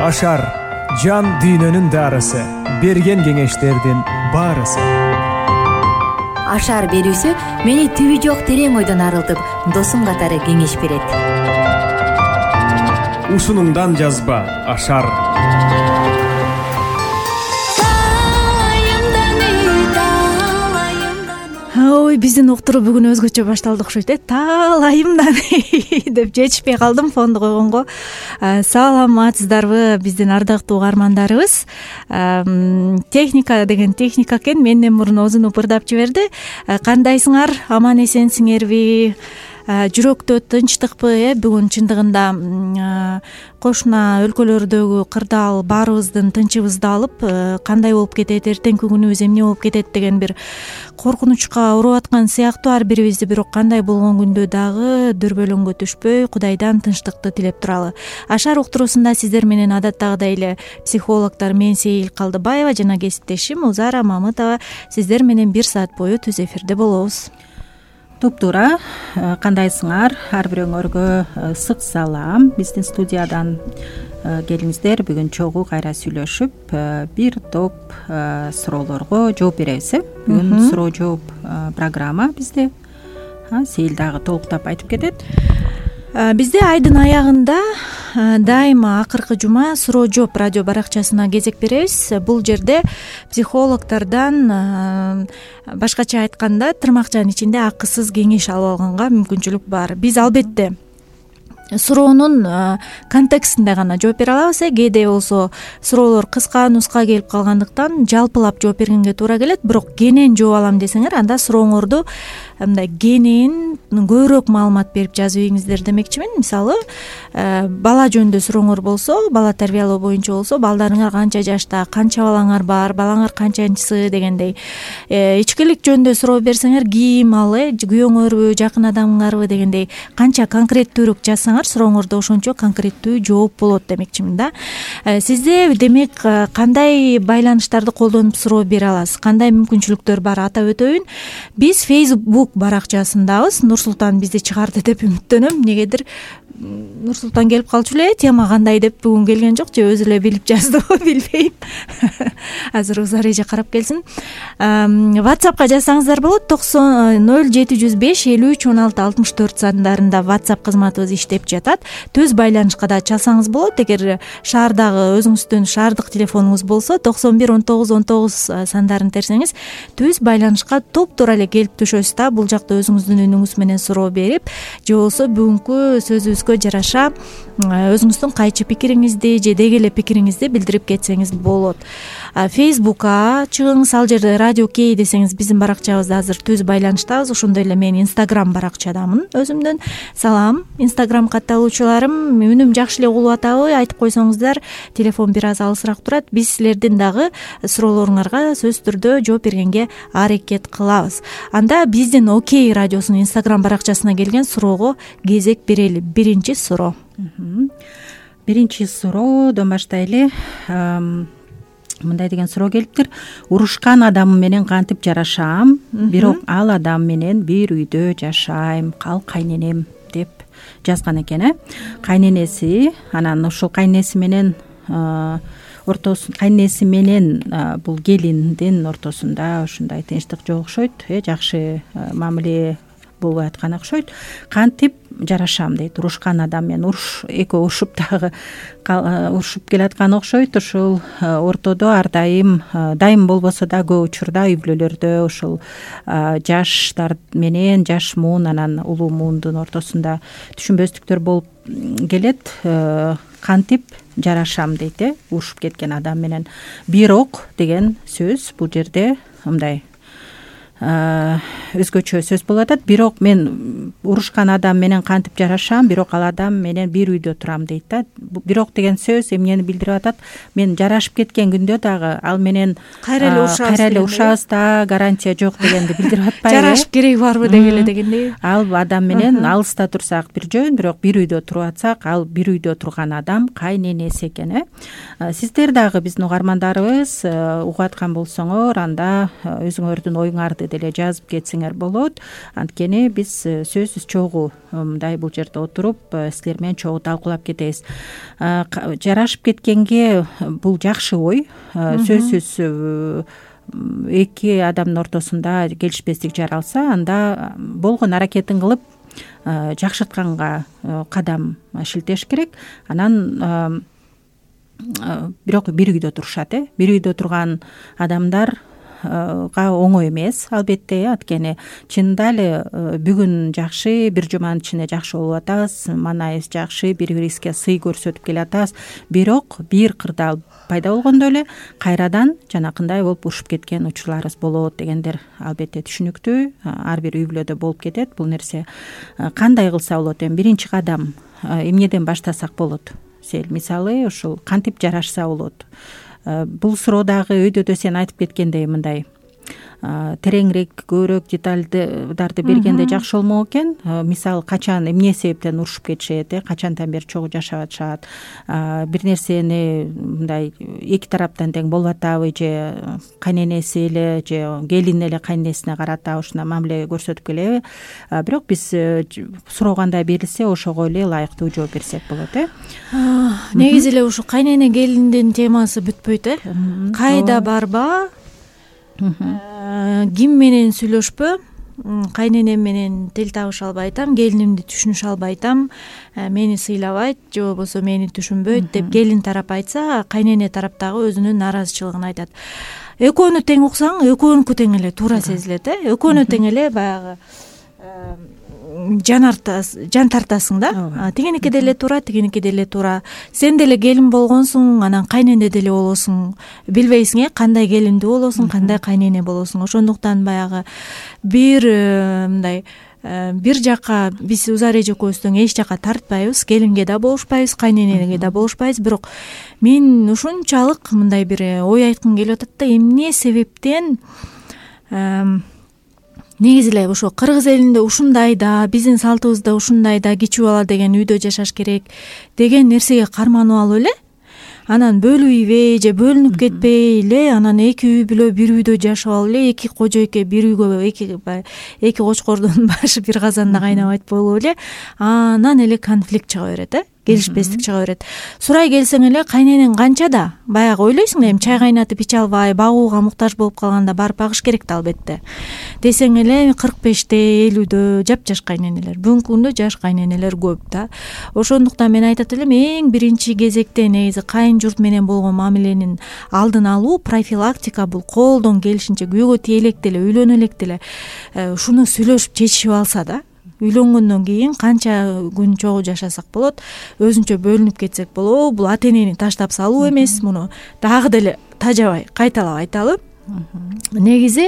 Ашар жан дүйнөнүн дарысы, берген кеңештердин баарысы. Ашар берүүсү мени түбү жок терең ойдон арылтып, досум катары кеңеш берет. Ушунуңдан жазба Ашар. Ой, биздин уктуруу бүгүн өзгөчө башталды окшойт. Таалайымдан деп жетишпей калдым фонду койгонго. Саламатсыздарбы биздин ардактуу угармандарыбыз. Техника деген техника экен, менден мурун озун упырдап жиберди. Кандайсыңар? Аман эсенсиңерби? Жүрөктө тынчтыкпы? Бүгүн чындыгында кошуна өлкөлөрдөгү кырдаал баарыбыздын тынчыбызды алып, кандай болуп кетет, эртеңки күнүбүз эмне болуп кетет деген бир коркунучка уруп аткан сыяктуу ар бирибизди. Бирок кандай болгон күндө дагы дүрбөлөңгө түшпөй, Кудайдан тынчтыкты тилеп туралы. Ашар уктуруусунда сиздер менен адаттагыдай эле психологдор мен Сейил Калдыбаева жана кесиптешим Узара Мамытова сиздер менен 1 саат бою түз эфирде болобуз. Туптуура, кандайсыңар? Ар бирөөңөргө ысык салам. Биздин студиядан келиңиздер. Бүгүн чогуу кайра сүйлөшүп, бир топ суроолорго жооп беребиз. Бүгүн суроо жооп программа бизде. Сейил дагы толуктап айтып кетет. Бизде айдын аягында дайыма акыркы жума суроо жооп радио баракчасына кезек беребиз. Бул жерде психологдордон башкача айтканда тырмакчанын ичинде акысыз кеңеш алып алганга мүмкүнчүлүк бар. Биз албетте суроонун контекстинде гана жооп бере алабыз. Кээде болсо суроолор кыска нуска келип калгандыктан жалпылап жооп бергенге туура келет. Бирок кенен жооп алам десеңер, анда сурооңорду мындай кенен көбүрөөк маалымат берип жазып ийиңиздер демекчимин. Мисалы, бала жөнүндө сурооңор болсо, бала тарбиялоо боюнча болсо, балдарыңар канча жашта, канча балаңар бар, балаңар канчанчысы дегендей. Ичкилик жөнүндө суроо берсеңер, ким ал, күйөөңөрбү, жакын адамыңарбы дегендей канча конкреттүүрөөк жазсаңар, сурооңордо ошончо конкреттүү жооп болот демекчимин да. Сизде демек кандай байланыштарды колдонуп суроо бере аласыз, кандай мүмкүнчүлүктөр бар атап өтөйүн. Биз Facebook баракчасындабыз. Нурсултан бизди чыгарды деп үмүттөнөм. Негедир Нурсултан келип калчу эле, тема кандай деп бүгүн келген жок, же өзү эле билип жаздыбы билбейм. Азыр Узар эже карап келсин. WhatsAppка жазсаңыздар болот. 0705531664 сандарында WhatsApp кызматыбыз иштеп жатат. Төз байланышка да чалсаңыз болот. Эгер шаардагы өзүңүздүн шаардык телефонуңуз болсо 911919 сандарын терсеңиз, төз байланышка топтура эле келип түшөсүз да. Бул жакта өзүңүздүн үнүңүз менен суроо берип, же болсо бүгүнкү сөзүбүзгө жараша өзүңүздүн кайчы пикириңизди же деги эле пикириңизди билдирип кетсеңиз болот. Facebookка чыгыңыз, ал жерде радио Кей десеңиз биздин баракчабызда азыр түз байланыштабыз. Ошондой эле мен Instagram баракчадамын өзүмдүн. Салам Instagram катталуучуларым, үнүм жакшы эле угулуп атабы? Айтып койсоңуздар, телефон бир аз алысыраак турат. Биз силердин дагы суроолоруңарга сөзсүз түрдө жооп бергенге аракет кылабыз. Анда биздин Окей радиосунун Instagram баракчасына келген суроого кезек берели. Биринчи суроо. Биринчи суроодон баштайлы. Мындай деген суроо келиптир. Урушкан адам менен кантип жарашам, бирок ал адам менен бир үйдө жашайм, кал кайненем деп жазган экен. Кайненеси, анан ушул кайненеси менен кайненеси менен бул келиндин ортосунда ушундай тынчтык жок окшойт, жакшы мамиле болбой аткан окшойт. Кантип жарашам дейт. Урушкан адам менен экөө урушуп дагы урушуп келаткан окшойт. Ушул ортодо ар дайым болбосо да көп учурда үй бүлөлөрдө ушул жаштар менен жаш муун анан улуу муундун ортосунда түшүнбөстүктөр болуп келет. Кантип жарашам дейт, урушуп кеткен адам менен. Бирок деген сөз бул жерде мындай өзгөчө сөз болуп атат. Бирок мен урушкан адам менен кантип жарашам, бирок ал адам менен бир үйдө турам дейт да. Бирок деген сөз эмнени билдирип атат? Мен жарашып кеткен күндө дагы ал менен кайра эле урушабыз да, гарантия жок дегенди билдирип атпайбы? Жарашып кереги барбы дегеле дегендей. Ал адам менен алыста турсак бир жөн, бирок бир үйдө туруп атсак, ал бир үйдө турган адам кайненеси экен. Сиздер дагы биздин угармандарыбыз угуп аткан болсоңор, анда өзүңөрдүн оюңарды деле жазып кетсеңер болот. Анткени биз сөзсүз чогуу мындай бул жерде отуруп силер менен чогуу талкуулап кетебиз. Жарашып кеткенге бул жакшы ой. Сөзсүз эки адамдын ортосунда келишпестик жаралса, анда болгон аракетин кылып жакшыртканга кадам шилтеш керек. Анан бирок бир үйдө турушат. Бир үйдө турган адамдарга оңой эмес, албетте. Анткени чынында эле бүгүн жакшы, бир жуманын ичинде жакшы болуп атабыз, маанайыбыз жакшы, бири бирибизге сый көрсөтүп келатабыз. Бирок бир кырдаал пайда болгондо эле кайрадан жанакындай болуп урушуп кеткен учурларыбыз болот дегендер албетте түшүнүктүү. Ар бир үй бүлөдө болуп кетет бул нерсе. Кандай кылса болот? Эми биринчи кадам эмнеден баштасак болот? Мисалы ушул кантип жарашса болот? Бул суроо дагы өйдөдө сен айтып кеткендей мындай тереңирээк, көбүрөөк деталдарды бергенде жакшы болмок экен. Мисалы качан, эмне себептен урушуп кетишет, качантан бери чогуу жашап атышат, бир нерсени мындай эки тараптан тең болуп атабы, же кайненеси эле же келин эле кайненесине карата ушундай мамиле көрсөтүп келеби? Бирок биз сурогандай берилсе ошого эле ылайыктуу жооп берсек болот. Негизи эле ушу кайнене келиндин темасы бүтпөйт. Кайда барба, ким менен сүйлөшпө, кайненем менен тил табыша албайтам, келинимди түшүнүшө албайтам, мени сыйлабайт же болбосо мени түшүнбөйт деп келин тарап айтса, кайнене тарап дагы өзүнүн нааразычылыгын айтат. Экөөнү тең уксаң, экөөнүкү тең эле туура сезилет. Экөөнү тең эле баягы жан тартасың да. Тигиники деле туура, тигиники деле туура. Сен деле келин болгонсуң, анан кайнене деле болосуң. Билбейсиң, кандай келиндүү болосуң, кандай кайнене болосуң. Ошондуктан баягы бир мындай бир жака биз Узар эже экөөбүздөн эч жака тартпайбыз, келинге да болушпайбыз, кайненеге да болушпайбыз. Бирок мен ушунчалык мындай бир ой айткым келип атат да, эмне себептен негизи эле ошо кыргыз элинде ушундай да, биздин салтыбызда ушундай да, кичүү бала деген үйдө жашаш керек деген нерсеге карманып алып эле, анан бөлүбөйбөй же бөлүнүп кетпей эле, анан эки үй бүлө бир үйдө жашап алып эле, эки кожойке бир үйгө, эки кочкордун башы бир казанда кайнабайт болуп эле, анан эле конфликт чыга берет, келишпестик чыга берет. Сурай келсең эле кайненең канча да баягы ойлойсуң, эми чай кайнатып иче албай, багууга муктаж болуп калганда барып багыш керек да албетте. Десең эле 45-те, 50-дө жапжаш кайненелер, бүгүнкү күндө жаш кайненелер көп да. Ошондуктан мен айтат элем, эң биринчи кезекте негизи кайын журт менен болгон мамиленин алдын алуу, профилактика, бул колдон келишинче күйөөгө тие электе эле, үйлөнө электе эле ушуну сүйлөшүп чечишип алса да. Үйлөнгөндөн кийин канча күн чогуу жашасак болот, өзүнчө бөлүнүп кетсек болобу, бул ата энени таштап салуу эмес, муну дагы деле тажабай кайталап айталы. Негизи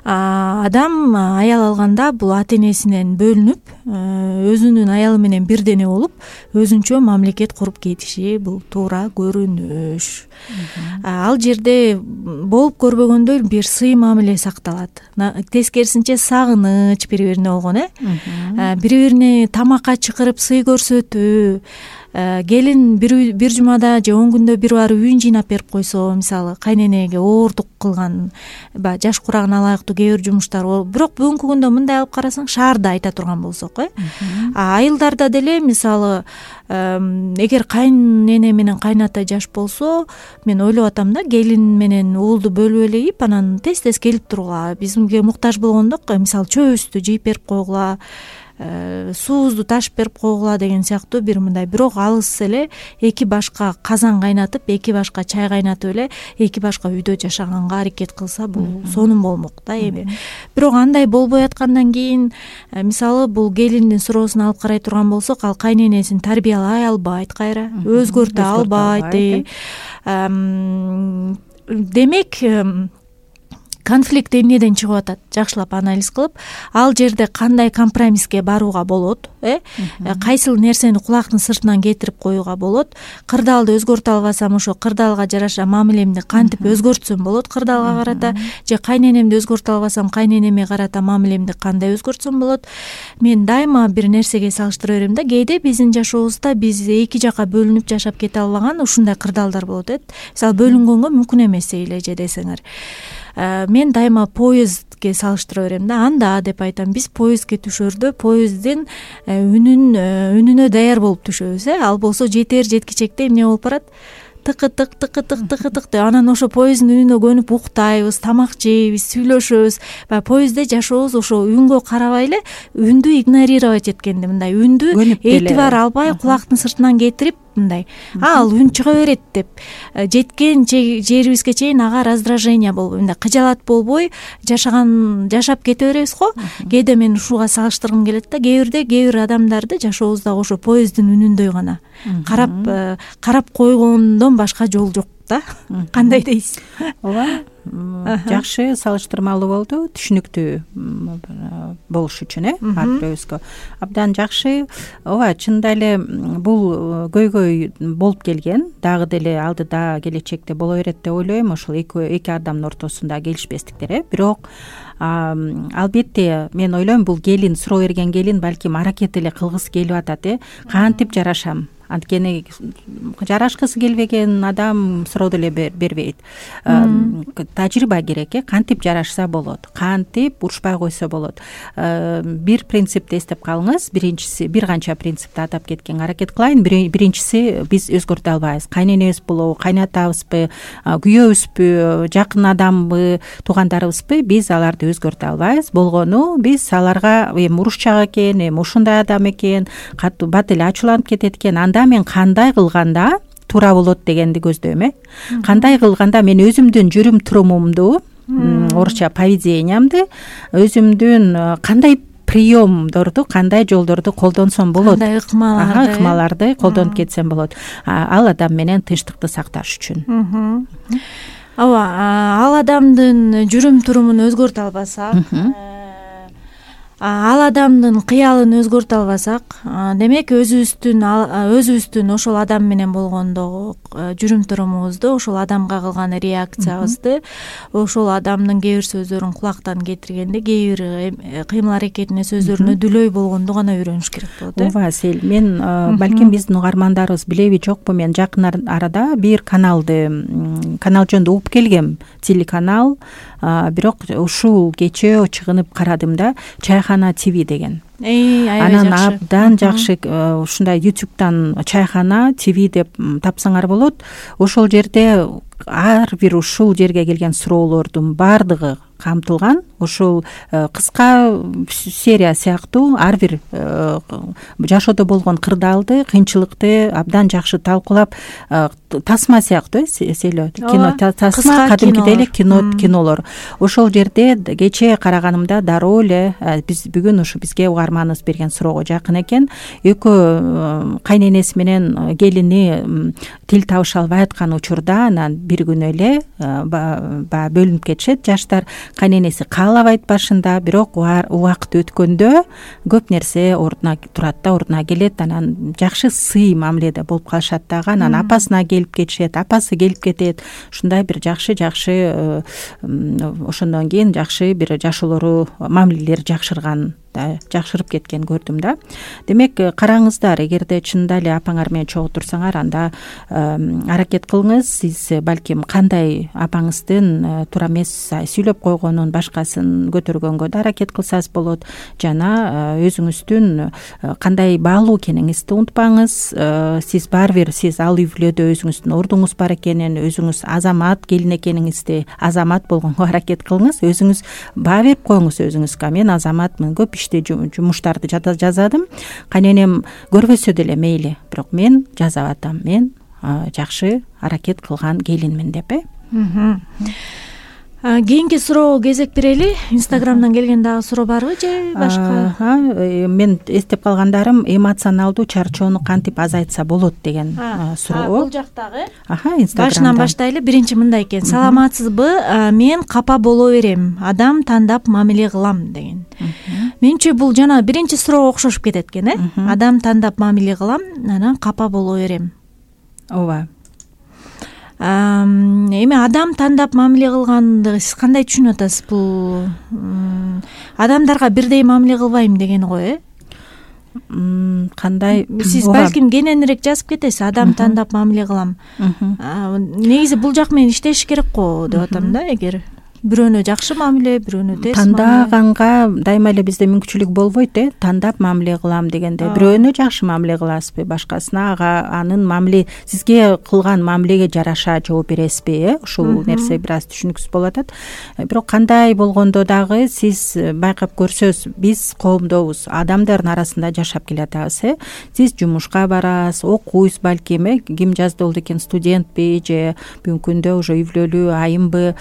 адам аял алганда бул ата энесинен бөлүнүп, өзүнүн аялы менен бирдене болуп, өзүнчө мамлекет куруп кетиши бул туура көрүнүш. Ал жерде болуп көрбөгөндөй бир сый мамиле сакталат. Тескерисинче сагыныч бири-бирине болгон, бири-бирине тамакка чакырып сый көрсөтүү, келин бир жумада же 10 күндө бир барып үйүн жыйнап берип койсо, мисалы кайненеге оордук кылган, жаш курагына ылайыктуу кээ бир жумуштар болуп, бирок бүгүнкү күндө мындай алып карасаң, шаарда айта турган болсок, айылдарда деле мисалы эгер кайнене менен кайната жаш болсо, мен ойлоп атам да, келин менен уулду бөлүп элегип, анан тез-тез келип тургула, бизге муктаж болгондо мисалы чөбүбүздү жыйып берип койгула, суубузду ташып берип койгула деген сыяктуу бир мындай, бирок алыс эле эки башка казан кайнатып, эки башка чай кайнатып эле эки башка үйдө жашаганга аракет кылса, бул сонун болмок да эми. Бирок андай болбой аткандан кийин, мисалы бул келиндин суроосун алып карай турган болсок, ал кайненесин тарбиялай албайт, кайра өзгөртө албайт. Демек конфликт эмнеден чыгып атат? Жакшылап анализ кылып, ал жерде кандай компромисске барууга болот, кайсыл нерсени кулактын сыртынан кетирип коюуга болот, кырдаалды өзгөртө албасам, ошо кырдаалга жараша мамилемди кантип өзгөртсөм болот кырдаалга карата, же кайненемди өзгөртө албасам, кайненеме карата мамилемди кандай өзгөртсөм болот. Мен дайыма бир нерсеге салыштыра берем да, кээде биздин жашообузда биз эки жака бөлүнүп жашап кете албаган ушундай кырдаалдар болот. Мисалы бөлүнгөнгө мүмкүн эмес эле же десеңер. мен дайыма поездге салыштыра берем да, анда деп айтам. Биз поездге түшөрдө поезддин үнүнө даяр болуп түшөбүз. Ал болсо жеткичекте эмне болуп барат? Тыкы тык тыкы тык тыкы тык деп анан ошо поезддин үнүнө көнүп уктайбыз, тамак жейбиз, сүйлөшөбүз. Баягы поездде жашообуз ошо үнгө карабай эле үндү игнорировать эткенди, мындай үндү этибар албай кулактын сыртынан кетирип мындай ал үн чыга берет деп жеткен жерибизге чейин ага раздражение болбой, мындай кыжаалат болбой жашап кете беребиз го. Кээде мен ушуга салыштыргым келет да, кээ бир адамдарды жашообузда ошо поезддин үнүндөй гана карап койгондон башка жол жок да. Кандай дейсиз? Ооба, жакшы салыштырмалуу болду, түшүнүктүү болуш үчүн ар бирөөбүзгө абдан жакшы. Ооба, чынында эле бул көйгөй болуп келген, дагы деле алдыда келечекте боло берет деп ойлойм. Ошол эки адамдын ортосунда келишпестиктер. Бирок албетте мен ойлойм, бул келин, суроо берген келин балким аракет эле кылгысы келип атат. Кантип жарашам? Анткени жарашкысы келбеген адам суроо деле бербейт. Тажрыйба керек. Кантип жарашса болот, кантип урушпай койсо болот. Бир принципти эстеп калыңыз. Биринчиси, бир канча принципти атап кеткенге аракет кылайын. Биринчиси, биз өзгөртө албайбыз. Кайненебиз болобу, кайнатабызбы, күйөөбүзбү, жакын адамбы, туугандарыбызбы, биз аларды өзгөртө албайбыз. Болгону биз аларга эми урушчак экен, эми ушундай адам экен, катуу бат эле ачууланып кетет экен, мен кандай кылганда туура болот дегенди көздөйм. Кандай кылганда мен өзүмдүн жүрүм турумумду, орусча поведениямды, өзүмдүн кандай приемдорду, кандай жолдорду колдонсом болот, кандай ыкмаларды колдонуп кетсем болот, ал адам менен тынчтыкты сакташ үчүн. Ооба, ал адамдын жүрүм турумун өзгөртө албасак, ал адамдын кыялын өзгөртө албасак, демек өзүбүздүн ошол адам менен болгондогу жүрүм турумубузду, ошол адамга кылган реакциябызды, ошол адамдын кээ бир сөздөрүн кулактан кетиргенде, кээ бир кыймыл аракетине, сөздөрүнө дүлөй болгонду гана үйрөнүш керек болот. Ооба, Сел, мен балким биздин угармандарыбыз билеби жокпу, мен жакын арада бир канал жөнүндө угуп келгем, телеканал. Бирок ушул кечээ чыгынып карадым да, Чайхана ТВ деген. Анан абдан жакшы, ушундай YouTube'дан Чайхана ТВ деп тапсаңар болот. Ошол жерде ар бир ушул жерге келген суроолордун баардыгы камтылган. Ошол кыска серия сыяктуу ар бир жашоодо болгон кырдаалды, кыйынчылыкты абдан жакшы талкуулап, тасма сыяктуу Селөө, кино тасма, кадимкидей эле кинолор. Ошол жерде кечээ караганымда дароо эле биз бүгүн ушу бизге угарманыбыз берген суроого жакын экен. Экөө кайненеси менен келини тил табыша албай аткан учурда анан бир күнү эле бөлүнүп кетишет. Жаштар кайненеси каалабайт башында, бирок убакыт өткөндө көп нерсе ордуна турат да, ордуна келет. Анан жакшы сый мамиледе болуп калышат дагы. Анан апасына келип кетишет, апасы келип кетет. Ушундай бир жакшы ошондон кийин жакшы бир жашоолору, мамилелери жакшырып кеткен көрдүм да. Демек, караңыздар, эгерде чынында эле апаңар менен чогуу турсаңар, анда аракет кылыңыз. Сиз балким кандай апаңыздын туура эмес сүйлөп койгонун, башкасын көтөргөнгө да аракет кылсаңыз болот. Жана өзүңүздүн кандай баалуу экениңизди унутпаңыз. Сиз барбир, сиз ал үй бүлөдө өзүңүздүн ордуңуз бар экенин, өзүңүз азамат келин экениңизди, азамат болгонго аракет кылыңыз. Өзүңүз баа берип коюңуз өзүңүзгө. Мен азаматмын, көп жумуштарды жазадым. Кайненем көрбөсө деле мейли, бирок мен жазап атам. Мен жакшы аракет кылган келинмин деп. Кийинки суроого кезек берели. Инстаграмдан келген дагы суроо барбы же башка? Мен эстеп калгандарым эмоционалдуу чарчоону кантип азайтса болот деген суроо. Бул жактагы. Инстаграмдан. Башынан баштайлы. Биринчи мындай экен. Саламатсызбы? Мен капа боло берем. Адам тандап мамиле кылам деген. Менче бул жана биринчи суроого окшошуп кетет экен, Адам тандап мамиле кылам, анан капа боло берем. Ооба. Эми адам тандап мамиле кылганды сиз кандай түшүнүп атасыз? Бул адамдарга бирдей мамиле кылбайм дегени го, Кандай? Сиз балким кененирээк жазып кетесиз. Адам тандап мамиле кылам. Негизи бул жак менен иштеш керек го деп атам да, эгер. бирөөнө жакшы мамиле, бирөөнө терс тандаганга дайыма эле бизде мүмкүнчүлүк болбойт, тандап мамиле кылам дегенде. Бирөөнө жакшы мамиле кыласызбы, башкасына анын мамиле сизге кылган мамилеге жараша жооп бересизби? Ушул нерсе бир аз түшүнүксүз болуп атат. Бирок кандай болгондо дагы сиз байкап көрсөз, биз коомдобуз, адамдардын арасында жашап келатабыз. Сиз жумушка барасыз, окуйсуз балким, ким жазды болду экен, студентпи же бүгүнкү күндө уже үйлөлүү айымбы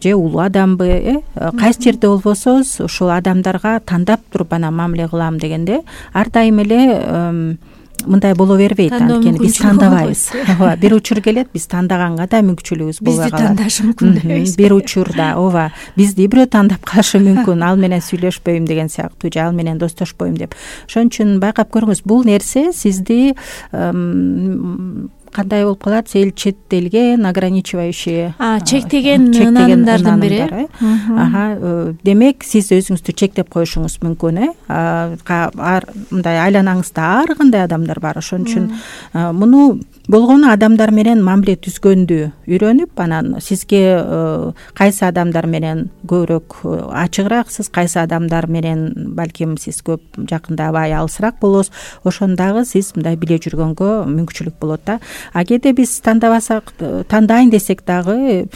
же улуу адамбы, кайсы жерде болбосоз ушул адамдарга тандап туруп анан мамиле кылам дегенде ар дайым эле мындай боло бербейт. Анткени биз тандабайбыз. Ооба, бир учур келет, биз тандаганга да мүмкүнчүлүгүбүз болбой калат. Бизди тандашы мүмкүн дейбиз. Бир учурда ооба, бизди бирөө тандап калышы мүмкүн, ал менен сүйлөшпөйм деген сыяктуу, же ал менен достошпойм деп. Ошон үчүн байкап көрүңүз, бул нерсе сизди кандай болуп калат, сел чет элге ограничивающий, чектеген ынанымдардын бири. Демек сиз өзүңүздү чектеп коюшуңуз мүмкүн. Мындай айланаңызда ар кандай адамдар бар. Ошон үчүн муну болгону адамдар менен мамиле түзгөндү үйрөнүп, анан сизге кайсы адамдар менен көбүрөөк ачыгырааксыз, кайсы адамдар менен балким сиз көп жакындабай алысыраак болосуз, ошондагы сиз мындай биле жүргөнгө мүмкүнчүлүк болот да. А кээде биз тандабасак, тандайын десек дагы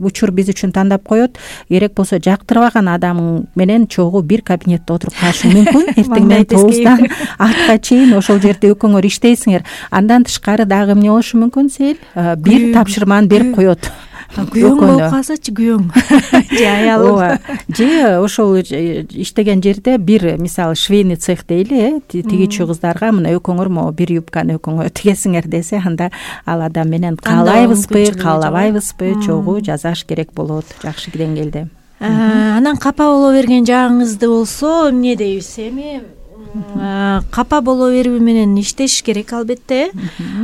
учур биз үчүн тандап коет. Керек болсо жактырбаган адамың менен чогуу бир кабинетте отуруп калышың мүмкүн. Эртең менен 9-дан 6-га чейин ошол жерде экөөңөр иштейсиңер. Андан тышкары дагы эмне болушу мүмкүн, сел бир тапшырманы берип коет. Күйөөң болуп калсачы, күйөөң же аялың, же ошол иштеген жерде бир, мисалы, швейный цех дейли, тигичүү кыздарга мына экөөңөр могу бир юбканы экөөңөр тигесиңер десе, анда ал адам менен каалайбызбы, каалабайбызбы, чогуу жазаш керек болот жакшы деңгээлде. Анан капа боло берген жагыңызды болсо эмне дейбиз? Эми капа боло берүү менен иштеш керек албетте.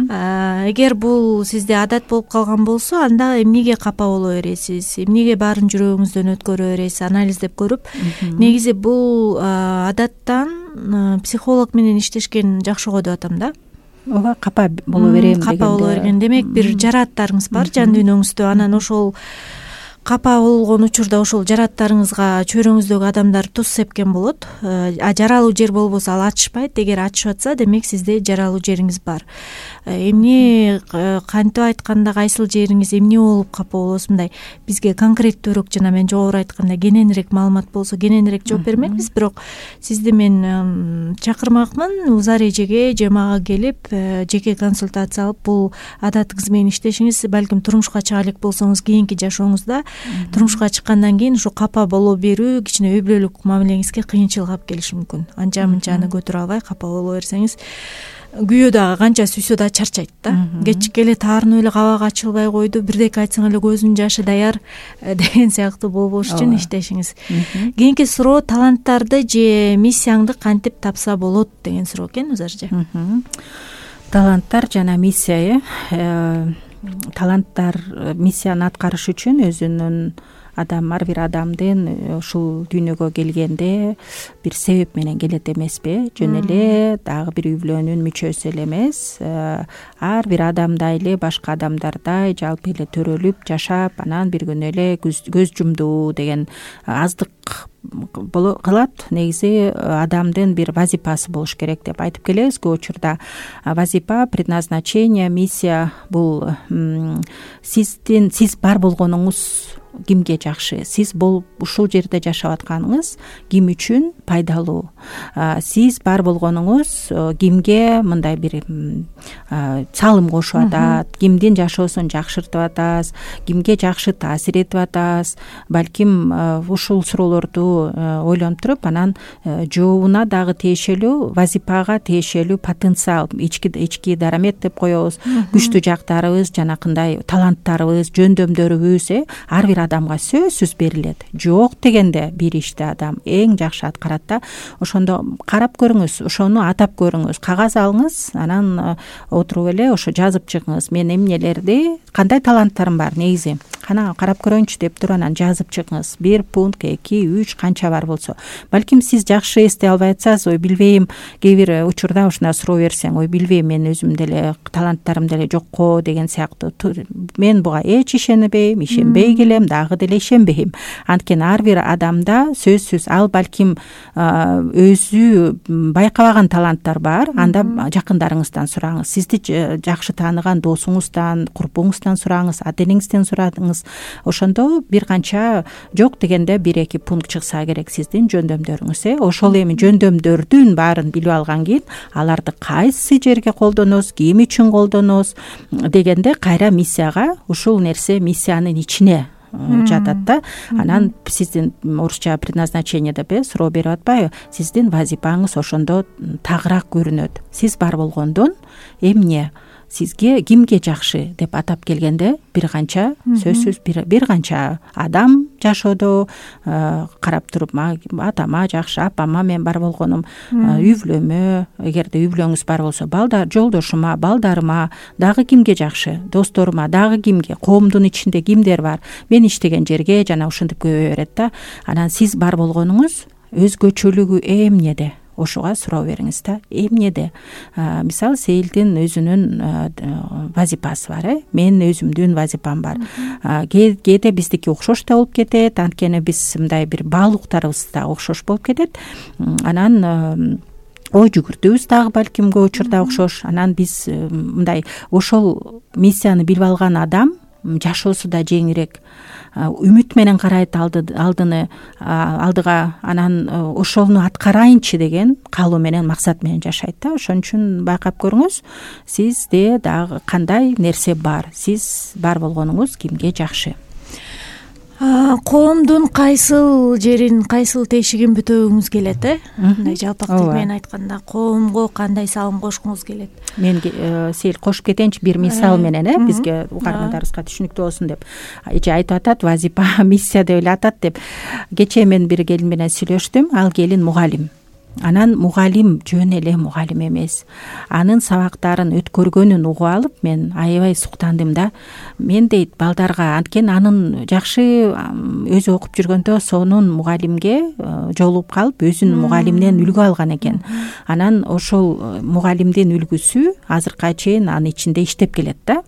Эгер бул сизде адат болуп калган болсо, анда эмнеге капа боло бересиз, эмнеге баарын жүрөгүңүздөн өткөрө бересиз, анализдеп көрүп. Негизи бул адаттан психолог менен иштешкен жакшы го деп атам да. Ооба, капа боло берем дегенде. Капа боло берген, демек бир жарааттарыңыз бар жан дүйнөңүздө, анан ошол капа болгон учурда ошол жарааттарыңызга чөйрөңүздөгү адамдар туз сепкен болот. Жаралуу жер болбосо ал ачышпайт. Эгер ачышып атса, демек сизде жаралуу жериңиз бар. Эмне кантип айтканда кайсыл жериңиз эмне болуп капа болосуз, мындай бизге конкреттүүрөөк, жана мен жогору айтканда кененирээк маалымат болсо кененирээк жооп бермекпиз. Бирок сизди мен чакырмакмын узар эжеге же мага келип жеке консультация алып, бул адатыңыз менен иштешиңиз, балким турмушка чыга элек болсоңуз кийинки жашооңузда турмушка чыккандан кийин ушу капа боло берүү кичине үй бүлөлүк мамилеңизге кыйынчылык алып келиши мүмкүн. Анча-мынчаны көтөрө албай капа боло берсеңиз, күйөө дагы канча сүйсө да чарчайт да. Кечке эле таарынып эле кабак ачылбай койду, бирдеке айтсаң эле көзүнүн жашы даяр деген сыяктуу болбош үчүн иштешиңиз. Кийинки суроо, таланттарды же миссияңды кантип тапса болот деген суроо экен, Узаржы. Таланттар жана миссия, таланттар миссияны аткарыш үчүн өзүнүн ар бир адамдын ушул дүйнөгө келгенде бир себеп менен келет эмеспи? Жөн эле дагы бир үй бүлөнүн мүчөсү эле эмес, ар бир адамдай эле башка адамдардай жалпы эле төрөлүп жашап, анан бир күнү эле көз жумду деген аздык кылат. Негизи адамдын бир вазипасы болуш керек деп айтып келебиз көп учурда. Вазипа, предназначение, миссия — бул сиз бар болгонуңуз кимге жакшы, сиз ушул жерде жашап атканыңыз ким үчүн пайдалуу, сиз бар болгонуңуз кимге мындай бир салым кошуп атат, кимдин жашоосун жакшыртып атасыз, кимге жакшы таасир этип атасыз. Балким ушул суроолорду ойлонуп туруп, анан жообуна дагы тиешелүү, вазипага тиешелүү потенциал, ички дарамет деп коебуз, күчтүү жактарыбыз, жанакындай таланттарыбыз, жөндөмдөрүбүз ар бир адамга сөзсүз берилет. Жок дегенде бир ишти адам эң жакшы аткарат да. Ошондо карап көрүңүз, ошону атап көрүңүз, кагаз алыңыз, анан отуруп эле ошо жазып чыгыңыз. Мен эмнелерди, кандай таланттарым бар негизи, кана карап көрөйүнчү деп туруп анан жазып чыгыңыз. 1 пункт, 2, 3 канча бар болсо. Балким сиз жакшы эстей албай атсаңыз, ой билбейм, кээ бир учурда ушундай суроо берсең, ой билбейм, мен өзүм деле таланттарым деле жокко деген сыяктуу. Мен буга эч ишенбейм, ишенбей келем, дагы деле ишенбейм. Анткени ар бир адамда сөзсүз ал балким өзү байкабаган таланттар бар. Анда жакындарыңыздан сураңыз, сизди жакшы тааныган досуңуздан, курбуңуздан сураңыз, ата энеңизден сураңыз. Ошондо бир канча жок дегенде 1-2 пункт чыкса керек сиздин жөндөмдөрүңүз. Ошол эми жөндөмдөрдүн баарын билип алган кийин аларды кайсы жерге колдоносуз, ким үчүн колдоносуз дегенде кайра миссияга, ушул нерсе миссиянын ичине жатат да. Анан сиздин орусча предназначение деп суроо берип атпайбы, сиздин вазипаңыз ошондо тагыраак көрүнөт. Сиз бар болгондон эмне, сизге кимге жакшы деп атап келгенде бир канча сөзсүз бир канча адам жашоодо карап туруп атама жакшы, апама мен бар болгонум, үй бүлөмө, эгерде үй бүлөңүз бар болсо балдар, жолдошума, балдарыма, дагы кимге жакшы, досторума, дагы кимге, коомдун ичинде кимдер бар, мен иштеген жерге жана ушинтип көбөйө берет да. Анан сиз бар болгонуңуз өзгөчөлүгү эмнеде? Ошуга суроо бериңиз да. Эмнеде? Мисалы Сейилдин өзүнүн вазипасы бар, Мен өзүмдүн вазипам бар. Кээде биздики окшош да болуп кетет, анткени биз мындай бир баалуулуктарыбыз да окшош болуп кетет. Анан ой жүгүртүүбүз дагы балким көп учурда окшош. Анан биз мындай ошол миссияны билип алган адам жашоосу да жеңирээк, үмүт менен карайт алдыга, анан ошону аткарайынчы деген каалоо менен, максат менен жашайт да. Ошон үчүн байкап көрүңүз, сизде дагы кандай нерсе бар, сиз бар болгонуңуз кимге жакшы. Коомдун кайсыл жерин, кайсыл тешигин бүтөбүңүз келет, мындай жалпак тил менен айтканда коомго кандай салым кошкуңуз келет? Мен Сейил кошуп кетейинчи бир мисал менен, бизге угармандарыбызга түшүнүктүү болсун деп. Эже айтып атат, вазипа, миссия деп эле атат деп. Кечээ мен бир келин менен сүйлөштүм. Ал келин мугалим. Анан мугалим жөн эле мугалим эмес. Анын сабактарын өткөргөнүн угуп алып, мен аябай суктандым да. Мен дейт балдарга, анткени анын жакшы өзү окуп жүргөндө сонун мугалимге жолугуп калып, өзүнүн мугалиминен үлгү алган экен. Анан ошол мугалимдин үлгүсү азыркыга чейин анын ичинде иштеп келет да,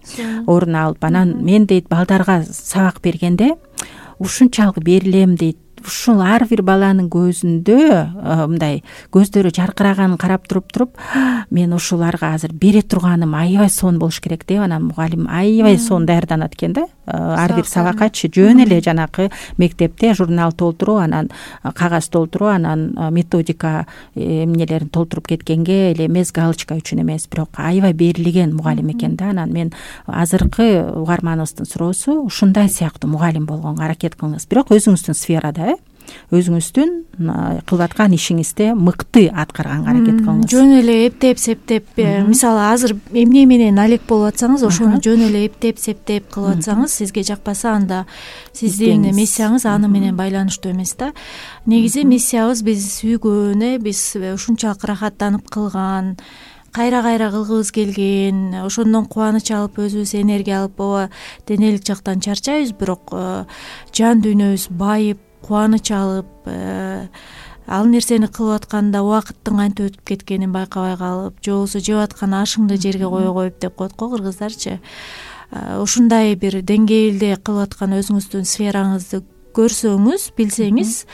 орун алып. Анан мен дейт балдарга сабак бергенде ушунчалык берилем дейт. Ушул ар бир баланын көзүндө мындай көздөрү жаркыраганын карап туруп мен ушуларга азыр бере турганым аябай сонун болуш керек деп. Анан мугалим аябай сонун даярданат экен да. Ар бир сабакачы жөн эле жанакы мектепте журнал толтуруу, анан кагаз толтуруу, анан методика эмнелерин толтуруп кеткенге эле эмес, галочка үчүн эмес, бирок аябай берилген мугалим экен да. Анан мен азыркы угарманыбыздын суроосу ушундай сыяктуу мугалим болгонго аракет кылыңыз, бирок өзүңүздүн сферада, өзүңүздүн кылып аткан ишиңизде мыкты аткарганга аракет кылыңыз. Жөн эле эптеп септеп, мисалы азыр эмне менен алек болуп атсаңыз, ошону жөн эле эптеп септеп кылып атсаңыз, сизге жакпаса, анда сиздин миссияңыз аны менен байланыштуу эмес да. Негизи миссиябыз биз сүйгөн, биз ушунчалык рахаттанып кылган, кайра кылгыбыз келген, ошондон кубаныч алып, өзүбүз энергия алып, ооба денелик жактан чарчайбыз, бирок жан дүйнөбүз байып, кубаныч алып, ал нерсени кылып атканда убакыттын кантип өтүп кеткенин байкабай калып, же болбосо жеп аткан ашыңды жерге кое коюп деп коет го кыргыздарчы. Ушундай бир деңгээлде кылып аткан өзүңүздүн сфераңызды көрсөңүз, билсеңиз,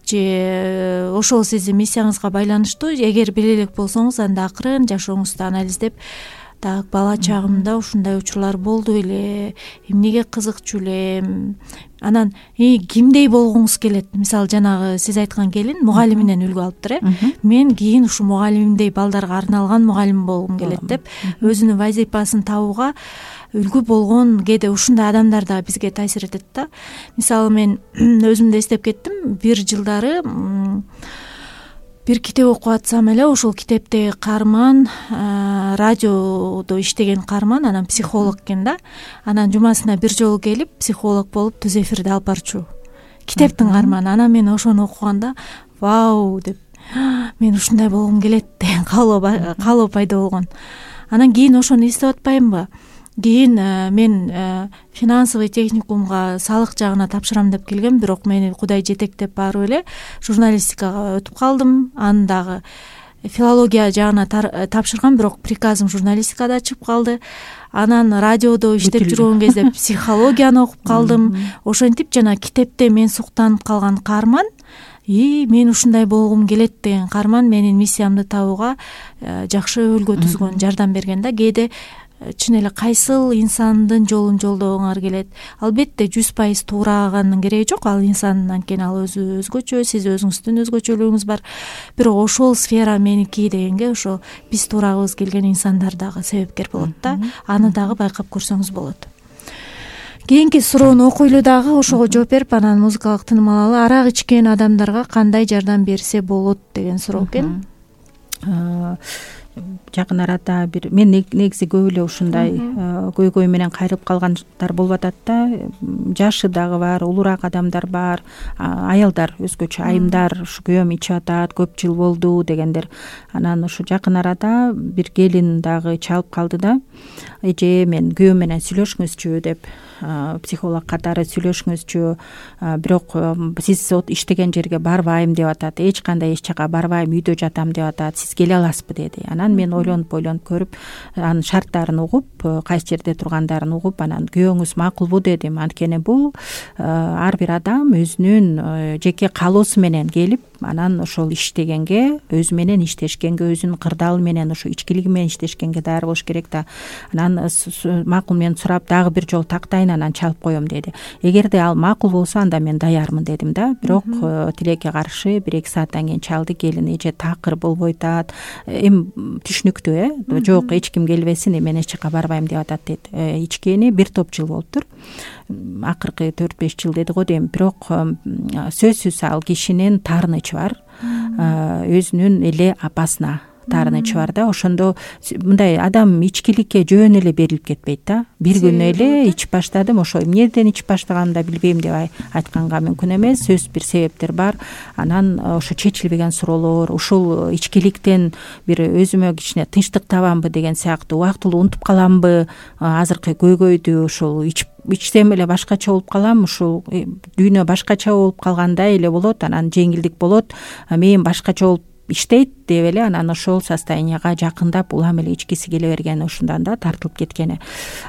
же ошол сиздин миссияңызга байланыштуу, эгер биле элек болсоңуз, анда акырын жашооңузду анализдеп, так бала чагымда ушундай учурлар болду эле, эмнеге кызыкчу элем, анан кимдей болгуңуз келет. Мисалы жанагы сиз айткан келин мугалиминен үлгү алыптыр, мен кийин ушу мугалимимдей балдарга арналган мугалим болгум келет деп өзүнүн вазипасын табууга үлгү болгон кээде ушундай адамдар да бизге таасир этет да. Мисалы мен өзүмдү эстеп кеттим, бир жылдары бир китеп окуп атсам эле, ошол китептеги каарман радиодо иштеген каарман, анан психолог экен да. Анан жумасына бир жолу келип, психолог болуп түз эфирди алып барчу. Китептин каарманы. Анан мен ошону окуганда, вау деп, мен ушундай болгум келет деген каалоо пайда болгон. Анан кийин ошону эстеп атпаймынбы? Кийин мен финансовый техникумга салык жагына тапшырам деп келгем, бирок мени Кудай жетектеп барып эле журналистикага өтүп калдым. Аны дагы филология жагына тапшыргам, бирок приказым журналистикада чыгып калды. Анан радиодо иштеп жүргөн кезде психологияны окуп калдым. Ошентип жана китепте мен суктанып калган каарман, мен ушундай болгум келет деген каарман менин миссиямды табууга жакшы өлгө түзгөн, жардам берген да. Кээде чын эле кайсыл инсандын жолун жолдогуңар келет. Албетте 100% туураганын кереги жок. Ал инсан, анткени ал өзү өзгөчө, сиз өзүңүздүн өзгөчөлүгүңүз бар. Бирок ошол сфера меники дегенге ошо биз туурагыбыз келген инсандар дагы себепкер болот да. Аны дагы байкап көрсөңүз болот. Кийинки суроону окуйлу дагы, ошого жооп берип анан музыкалык тыным алалы. Арак ичкен адамдарга кандай жардам берсе болот деген суроо экен. Жакын арада мен негизи көп эле ушундай көйгөй менен кайрылып калгандар болуп атат да. Жашы дагы бар, улураак адамдар бар, аялдар өзгөчө айымдар, ушу күйөөм ичип атат, көп жыл болду дегендер. Анан ушу жакын арада бир келин дагы чалып калды да. Эже, мен күйөөм менен сүйлөшүңүзчү деп, психолог катары сүйлөшүңүзчү, бирок сиз иштеген жерге барбайм деп атат, эч кандай эч жака барбайм, үйдө жатам деп атат, сиз келе аласызбы деди. Анан мен ойлонуп көрүп, анын шарттарын угуп, кайсы жерде тургандарын угуп, анан күйөөңүз макулбу дедим. Анткени бул ар бир адам өзүнүн жеке каалоосу менен келип, анан ошол иштегенге, өзү менен иштешкенге, өзүнүн кырдаалы менен, ушу ичкилиги менен иштешкенге даяр болуш керек да. Анан макул мен сурап, дагы бир жолу тактайын, анан чалып коем деди. Эгерде ал макул болсо, анда мен даярмын дедим да. Бирок тилекке каршы 1-2 сааттан кийин чалды. Келин, эже такыр болбой атат. Эми түшүнүктүү, жок, эч ким келбесин, мен эч жака барбайм деп атат дейт. Ичкени бир топ жыл болуптур. Акыркы 4-5 жыл деди го дейм. Бирок сөзсүз ал кишинин таарынычы бар. Өзүнүн эле апасына таарынычы бар да. Ошондо мындай адам ичкиликке жөн эле берилип кетпейт да. Бир күн эле ичип баштадым, ошо эмнеден ичип баштаганымды да билбейм деп айтканга мүмкүн эмес. Сөзсүз бир себептер бар. Анан ошо чечилбеген суроолор, ушул ичкиликтен бир өзүмө кичине тынчтык табамбы деген сыяктуу, убактылуу унутуп каламбы азыркы көйгөйдү, ушул ичсем эле башкача болуп калам, ушул дүйнө башкача болуп калгандай эле болот, анан жеңилдик болот, мен башкача болуп иштейт деп эле анан ошол состоянияга жакындап улам эле ичкиси келе берген, ушундан да тартылып кеткени.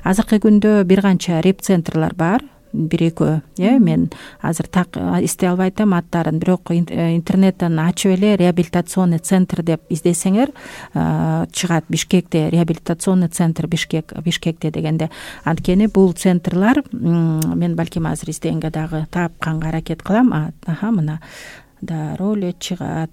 Азыркы күндө бир канча реп-центрлар бар, 1-2, мен азыр так эстей албай атам аттарын, бирок интернеттен ачып эле реабилитационный центр деп издесеңер чыгат. Бишкекте реабилитационный центр Бишкекте дегенде. Анткени бул центрлар, мен балким азыр издегенге дагы тапканга аракет кылам. Мына да роль чыгат.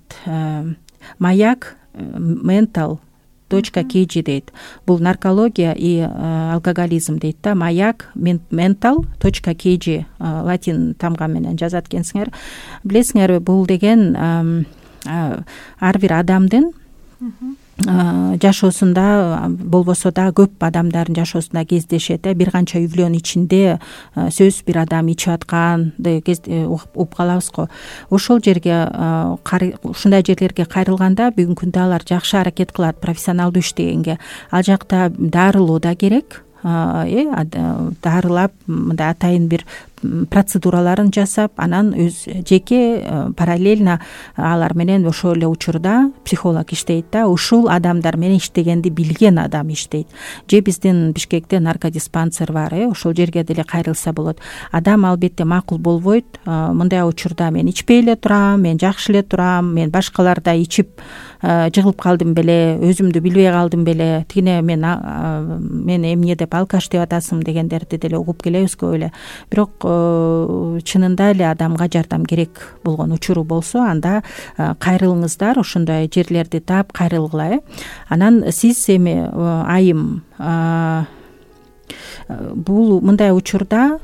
Маяк mental.kg дейт. Бул наркология и алкоголизм дейт да. Маяк mental.kg латин тамга менен жазат экенсиңер. Билесиңерби, бул деген ар бир адамдын жашоосунда болбосо да көп адамдардын жашоосунда кездешет. Бир канча үй-бүлөнүн ичинде сөзсүз бир адам ичип атканды угуп калабыз го. Ошол жерге, ушундай жерлерге кайрылганда бүгүнкү күндө алар жакшы аракет кылат профессионалдуу иштегенге. Ал жакта дарылоо да керек. Дарылап, мындай атайын бир процедураларын жасап, анан өз жеке параллельно алар менен ошол эле учурда психолог иштейт да. Ушул адамдар менен иштегенди билген адам иштейт. Же биздин Бишкекте наркодиспансер бар, ошол жерге деле кайрылса болот. Адам албетте макул болбойт. Мындай учурда мен ичпей эле турам, мен жакшы эле турам, мен башкаларда ичип жыгылып калдым беле, өзүмдү билбей калдым беле, тигине мен эмне деп алкаш деп атасың дегендерди деле угуп келебиз көп эле. Бирок чынында эле адамга жардам керек болгон учуру болсо, анда кайрылыңыздар, ошондой жерлерди таап кайрылгыла. Анан сиз эми айым, бул мындай учурда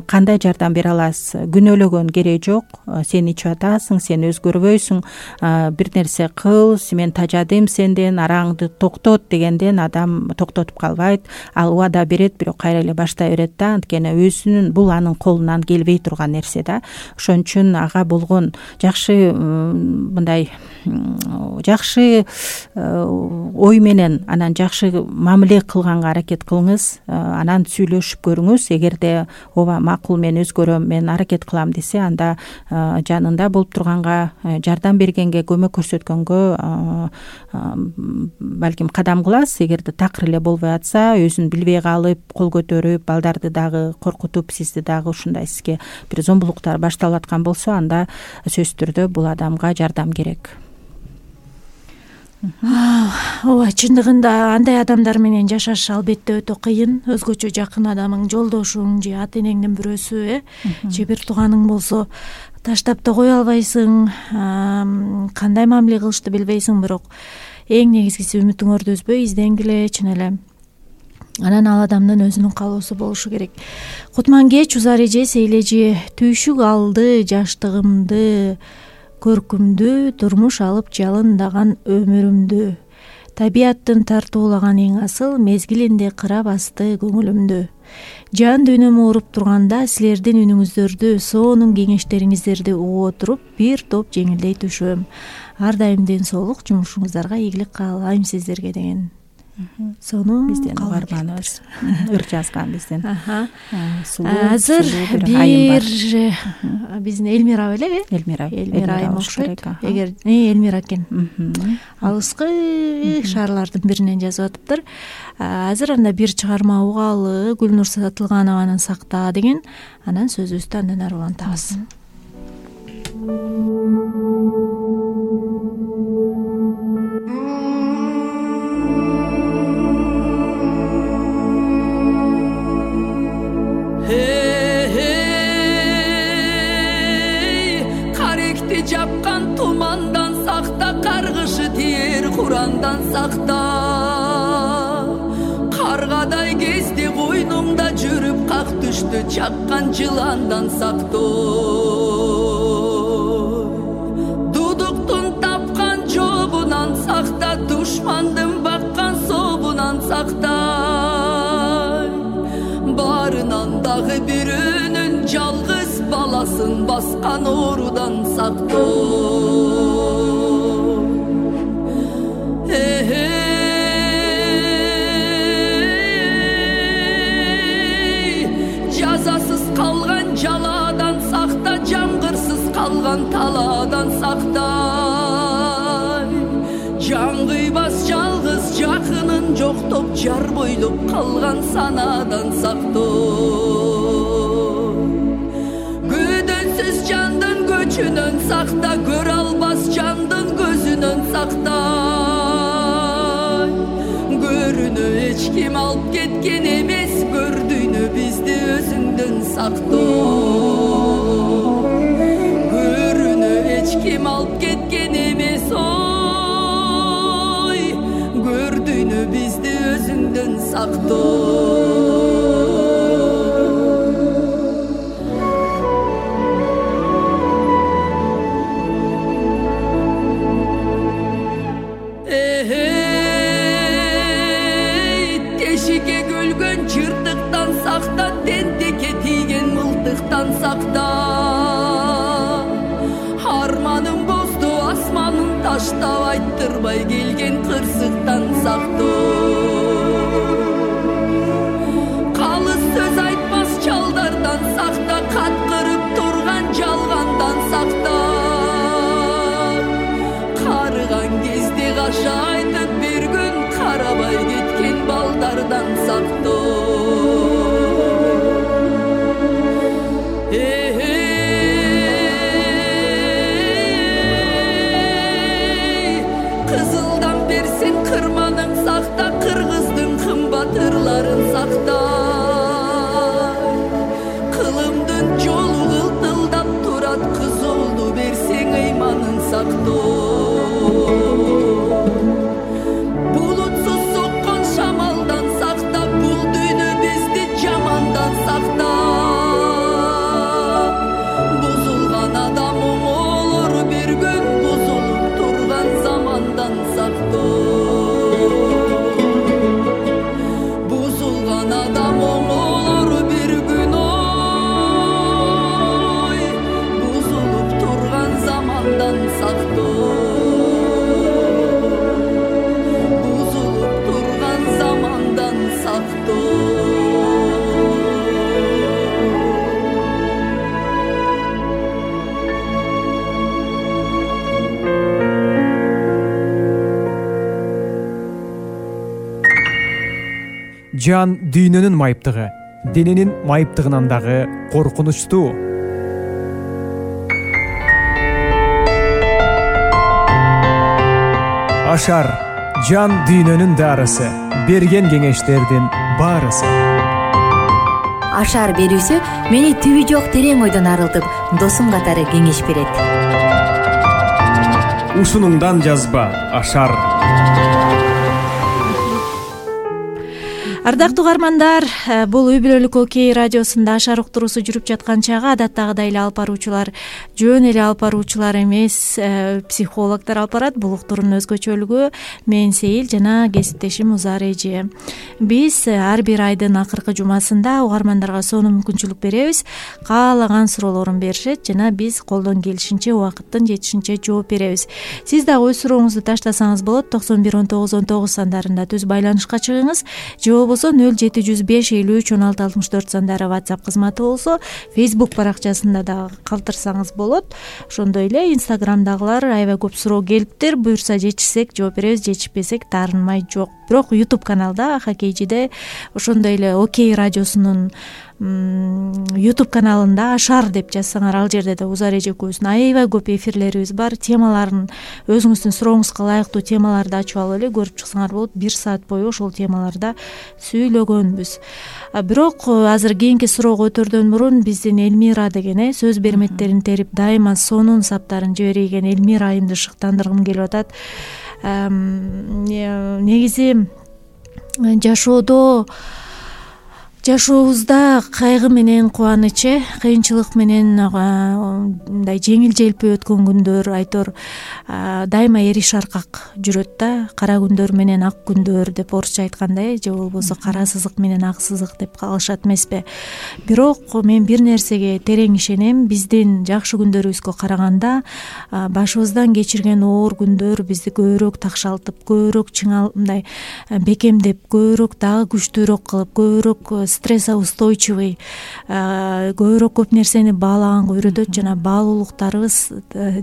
кандай жардам бере аласыз? Күнөөлөгөн кереги жок. Сен ичип атасың, сен өзгөрбөйсүң, бир нерсе кыл, мен тажадым сенден, араңды токтот дегенден адам токтотуп калбайт. Ал убада берет, бирок кайра эле баштай берет да. Анткени өзүнүн бул анын колунан келбей турган нерсе да. Ошон үчүн ага болгон жакшы мындай жакшы ой менен, анан жакшы мамиле кылганга аракет кылыңыз, анан сүйлөшүп көрүңүз. Эгерде ооба макул, мен өзгөрөм, мен аракет кылам десе, анда жанында болуп турганга, жардам бергенге, көмөк көрсөткөнгө балким кадам кыласыз. Эгерде такыр эле болбой атса, өзүн билбей калып, кол көтөрүп, балдарды дагы коркутуп, сизди дагы ушундай сизге бир зомбулуктар башталып аткан болсо, анда сөзсүз түрдө бул адамга жардам керек. ооба, чындыгында андай адамдар менен жашаш албетте өтө кыйын. Өзгөчө жакын адамың, жолдошуң же ата энеңдин бирөөсү, же бир тууганың болсо таштап да кое албайсың, кандай мамиле кылышты билбейсиң. Бирок эң негизгиси үмүтүңөрдү үзбөй изденгиле, чын эле. Анан ал адамдын өзүнүн каалоосу болушу керек. Кутман-кеч узар эже сейлежи түйшүк алды жаштыгымды, көркүмдү, турмуш алып жалындаган өмүрүмдү. Табияттын тартуулаган эң асыл мезгилинде кыра басты көңүлүмдү. Жан дүйнөм ооруп турганда силердин үнүңүздөрдү, сонун кеңештериңиздерди угуп отуруп, бир топ жеңилдей түшөм. Ар дайым ден соолук, жумушуңуздарга ийгилик каалайм сиздерге деген. Сону биздин угарманыбыз ыр жазган биздин. Азыр бир биздин Элмира белеби? Элмира айым окшойт. Эгер Элмира экен. Алыскы шаарлардын биринен жазып атыптыр. Азыр анда бир чыгарма угалы, Гүлнур Сатылганованын Сакта деген. Анан сөзүбүздү андан ары улантабыз. Каректи жапкан тумандан сакта, каргышы тиер курандан сакта. Каргадай кезде койнуңда жүрүп, как түштү чаккан жыландан сактой. Дудуктун тапкан жобунан сакта, душмандын баккан собунан сакта. Барынан дагы бирөөнүн жалгыз баласын баскан оорудан сактой. Жазасыз калган жаладан сакта, жамгырсыз калган талаадан сактай. Жан кыйбас жалгыз жакынын жоктоп, жар бойлоп калган санадан сактой. Көдөнсүз жандын көчүнөн сакта, көрө албас жандын көзүнөн сактай. Көрүнө эч ким алып кеткен эмес, көрдүйнө бизди өзүңдөн сактой. Көрүнө эч ким алып кеткен эмес, көрдүйнө бизди өзүңдөн сактой. Тешикке көлгөн жыртыктан сакта, тентекке тийген мылтыктан сакта. Арманым бозду асманын таштап, айттырбай келген кырсыктан сактой. Калыс сөз айтпас чалдардан сакта, каткырып турган жалгандан сакта. Карыган кезде каша айтып, бир күн карабай кеткен балдардан сактой. Кырманың сакта, жан дүйнөнүн майыптыгы, дененин майыптыгынан дагы коркунучтуу. Ашар жан дүйнөнүн дарысы, берген кеңештердин баарысы. Ашар берүүсү мени түбү жок терең ойдон арылтып, досум катары кеңеш берет. Ушунуңдан жазба Ашар. Ардактуу угармандар, бул Үй бүлөлүк Окей радиосунда Ашар уктуруусу жүрүп жаткан чагы адаттагыдай эле алып баруучулар, жөн эле алып баруучулар эмес, психологдор алып барат. Бул уктуруунун өзгөчөлүгү мен Сейил жана кесиптешим Узар эже. Биз ар бир айдын акыркы жумасында угармандарга сонун мүмкүнчүлүк беребиз. Каалаган суроолорун беришет жана биз колдон келишинче, убакыттын жетишинче жооп беребиз. Сиз дагы өз сурооңузду таштасаңыз болот. 91 19 19 сандарында түз байланышка чыгыңыз. Же 0705 53 16 64 сандары WhatsApp кызматы болсо, Facebook баракчасында да калтырсаңыз болот. Ошондой эле Instagramдагылар аябай көп суроо келиптир. Буюрса жетишсек жооп беребиз, жетишпесек таарынмай жок. Бирок YouTube каналда Хоккейчиде ошондой эле Окей радиосунун YouTube каналында Ашар деп жазсаңар, ал жерде да Узар эже экөөбүздүн аябай көп эфирлерибиз бар. Темаларын, өзүңүздүн сурооңузга ылайыктуу темаларды ачып алып эле көрүп чыксаңар болот. 1 саат бою ошол темаларда сүйлөгөнбүз. Бирок азыр кийинки суроого өтөрдөн мурун биздин Элмира деген сөз берметтерин терип дайыма сонун саптарын жиберген Элмира айымды шыктандыргым келип атат. Негизи жашообузда кайгы менен кубаныч, кыйынчылык менен мындай жеңил желпи өткөн күндөр, айтор дайыма эриш аркак жүрөт да. Кара күндөр менен ак күндөр деп орусча айткандай, же болбосо кара сызык менен ак сызык деп калышат эмеспи. Бирок мен бир нерсеге терең ишенем. Биздин жакшы күндөрүбүзгө караганда башыбыздан кечирген оор күндөр бизди көбүрөөк такшалтып, көбүрөөк мындай бекемдеп, көбүрөөк дагы күчтүүрөөк кылып, көбүрөөк стрессоустойчивый, көбүрөөк көп нерсени баалаганга үйрөтөт жана баалуулуктарыбыз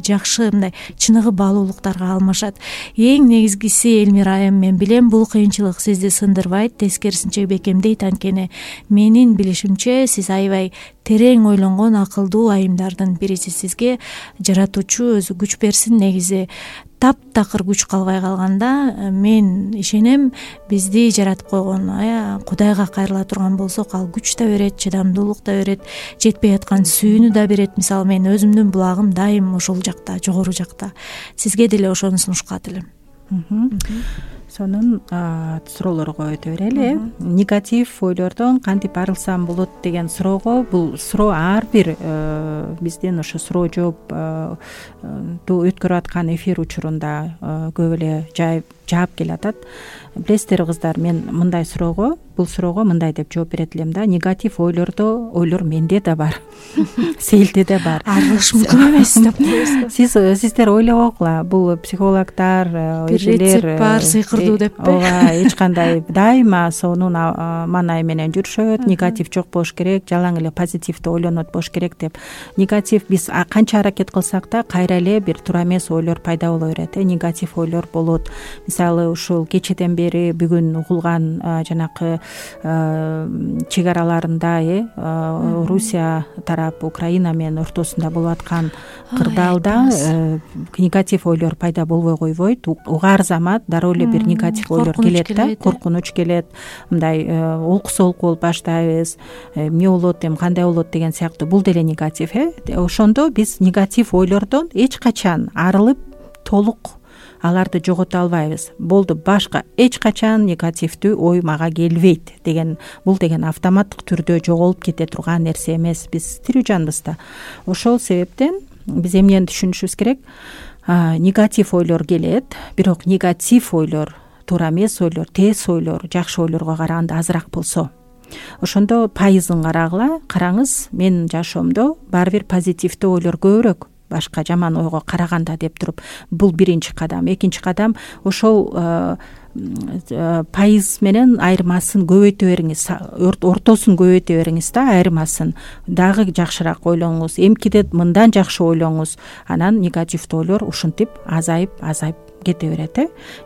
жакшы мындай чыныгы баалуулуктарга алмашат. Эң негизгиси, Элмира айым, мен билем, бул кыйынчылык сизди сындырбайт, тескерисинче бекемдейт. Анткени менин билишимче сиз аябай терең ойлонгон акылдуу айымдардын бирисиз. Сизге жаратуучу өзү күч берсин. Негизи таптакыр күч калбай калганда, мен ишенем, бизди жаратып койгон Кудайга кайрыла турган болсок, ал күч да берет, чыдамдуулук да берет, жетпей аткан сүйүүнү да берет. Мисалы, мен өзүмдүн булагым дайым ошол жакта, жогору жакта. Сизге деле ошону сунушкат элем. Сонун суроолорго өтө берели. Негатив ойлордон кантип арылсам болот деген суроого, бул суроо ар бир биздин ошо суроо жооп өткөрүп аткан эфир учурунда көп эле жаап келатат. Билесиздер кыздар, мен мындай суроого, бул суроого мындай деп жооп берет элем да. Негатив ойлор менде да бар. Сейилде да бар. Арылыш мүмкүн эмес деп коесуздар. Сиздер ойлобогула, бул психологдор, рецепт бар, сыйкырдуу деппи? Ооба, эч кандай дайыма сонун маанай менен жүрүшөт. Негатив жок болуш керек, жалаң эле позитивдүү ойлонот болуш керек деп. Негатив биз канча аракет кылсак да кайра эле бир туура эмес ойлор пайда боло берет. Негатив ойлор болот. Мисалы, ушул кечеден бери бүгүн угулган жанакы чек араларында Русия тарап Украина менен ортосунда болуп аткан кырдаалда негатив ойлор пайда болбой койбойт. Угар замат дароо эле бир негатив ойлор келет да, коркунуч келет, мындай олку болуп баштайбыз, эмне болот, кандай болот деген сыяктуу. Бул деле негатив. Ошондо биз негатив ойлордон эч качан арылып толук аларды жогото албайбыз. Болду, башка эч качан негативдүү ой мага келбейт деген, бул деген автоматтык түрдө жоголуп кете турган нерсе эмес. Биз тирүү жанбыз да. Ошол себептен биз эмнени түшүнүшүбүз керек? Негатив ойлор келет, бирок негатив ойлор, туура эмес ойлор, тез ойлор, жакшы ойлорго караганда азыраак болсо, ошондо пайызын карагыла. Караңыз, менин жашоомдо баары бир позитивдүү ойлор көбүрөөк, башка жаман ойго караганда деп туруп. Бул биринчи кадам. Экинчи кадам, ошол пайыз менен айырмасын көбөйтө бериңиз, ортосун көбөйтө бериңиз да, айырмасын дагы жакшыраак ойлоңуз, эмкиде мындан жакшы ойлоңуз. Анан негативдүү ойлор ушинтип азайып кете берет.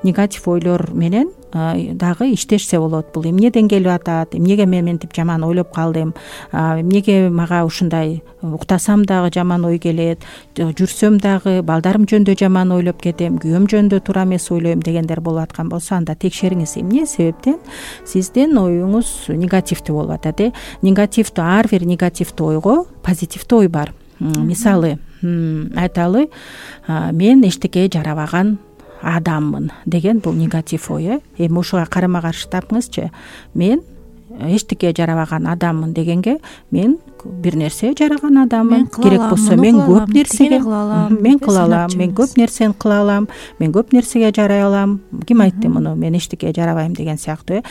Негатив ойлор менен дагы иштешсе болот. Бул эмнеден келип атат, эмнеге мен мынтип жаман ойлоп калдым, эмнеге мага ушундай, уктасам дагы жаман ой келет, жүрсөм дагы балдарым жөнүндө жаман ойлоп кетем, күйөөм жөнүндө туура эмес ойлойм дегендер болуп аткан болсо, анда текшериңиз эмне себептен сиздин оюңуз негативдүү болуп атат. Негативдүү, ар бир негативдүү ойго позитивдүү ой бар. Мисалы айталы, мен эчтекеге жарабаган адаммын деген бул негатив ой. Эми ушуга карама каршы тапыңызчы. Мен эчтекеге жарабаган адаммын дегенге мен бир нерсе жараган адаммын. Керек болсо мен көп нерсеге мен кыла алам, мен көп нерсени кыла алам, мен көп нерсеге жарай алам. Ким айтты муну? Мен эчтекеге жарабайм деген сыяктуу.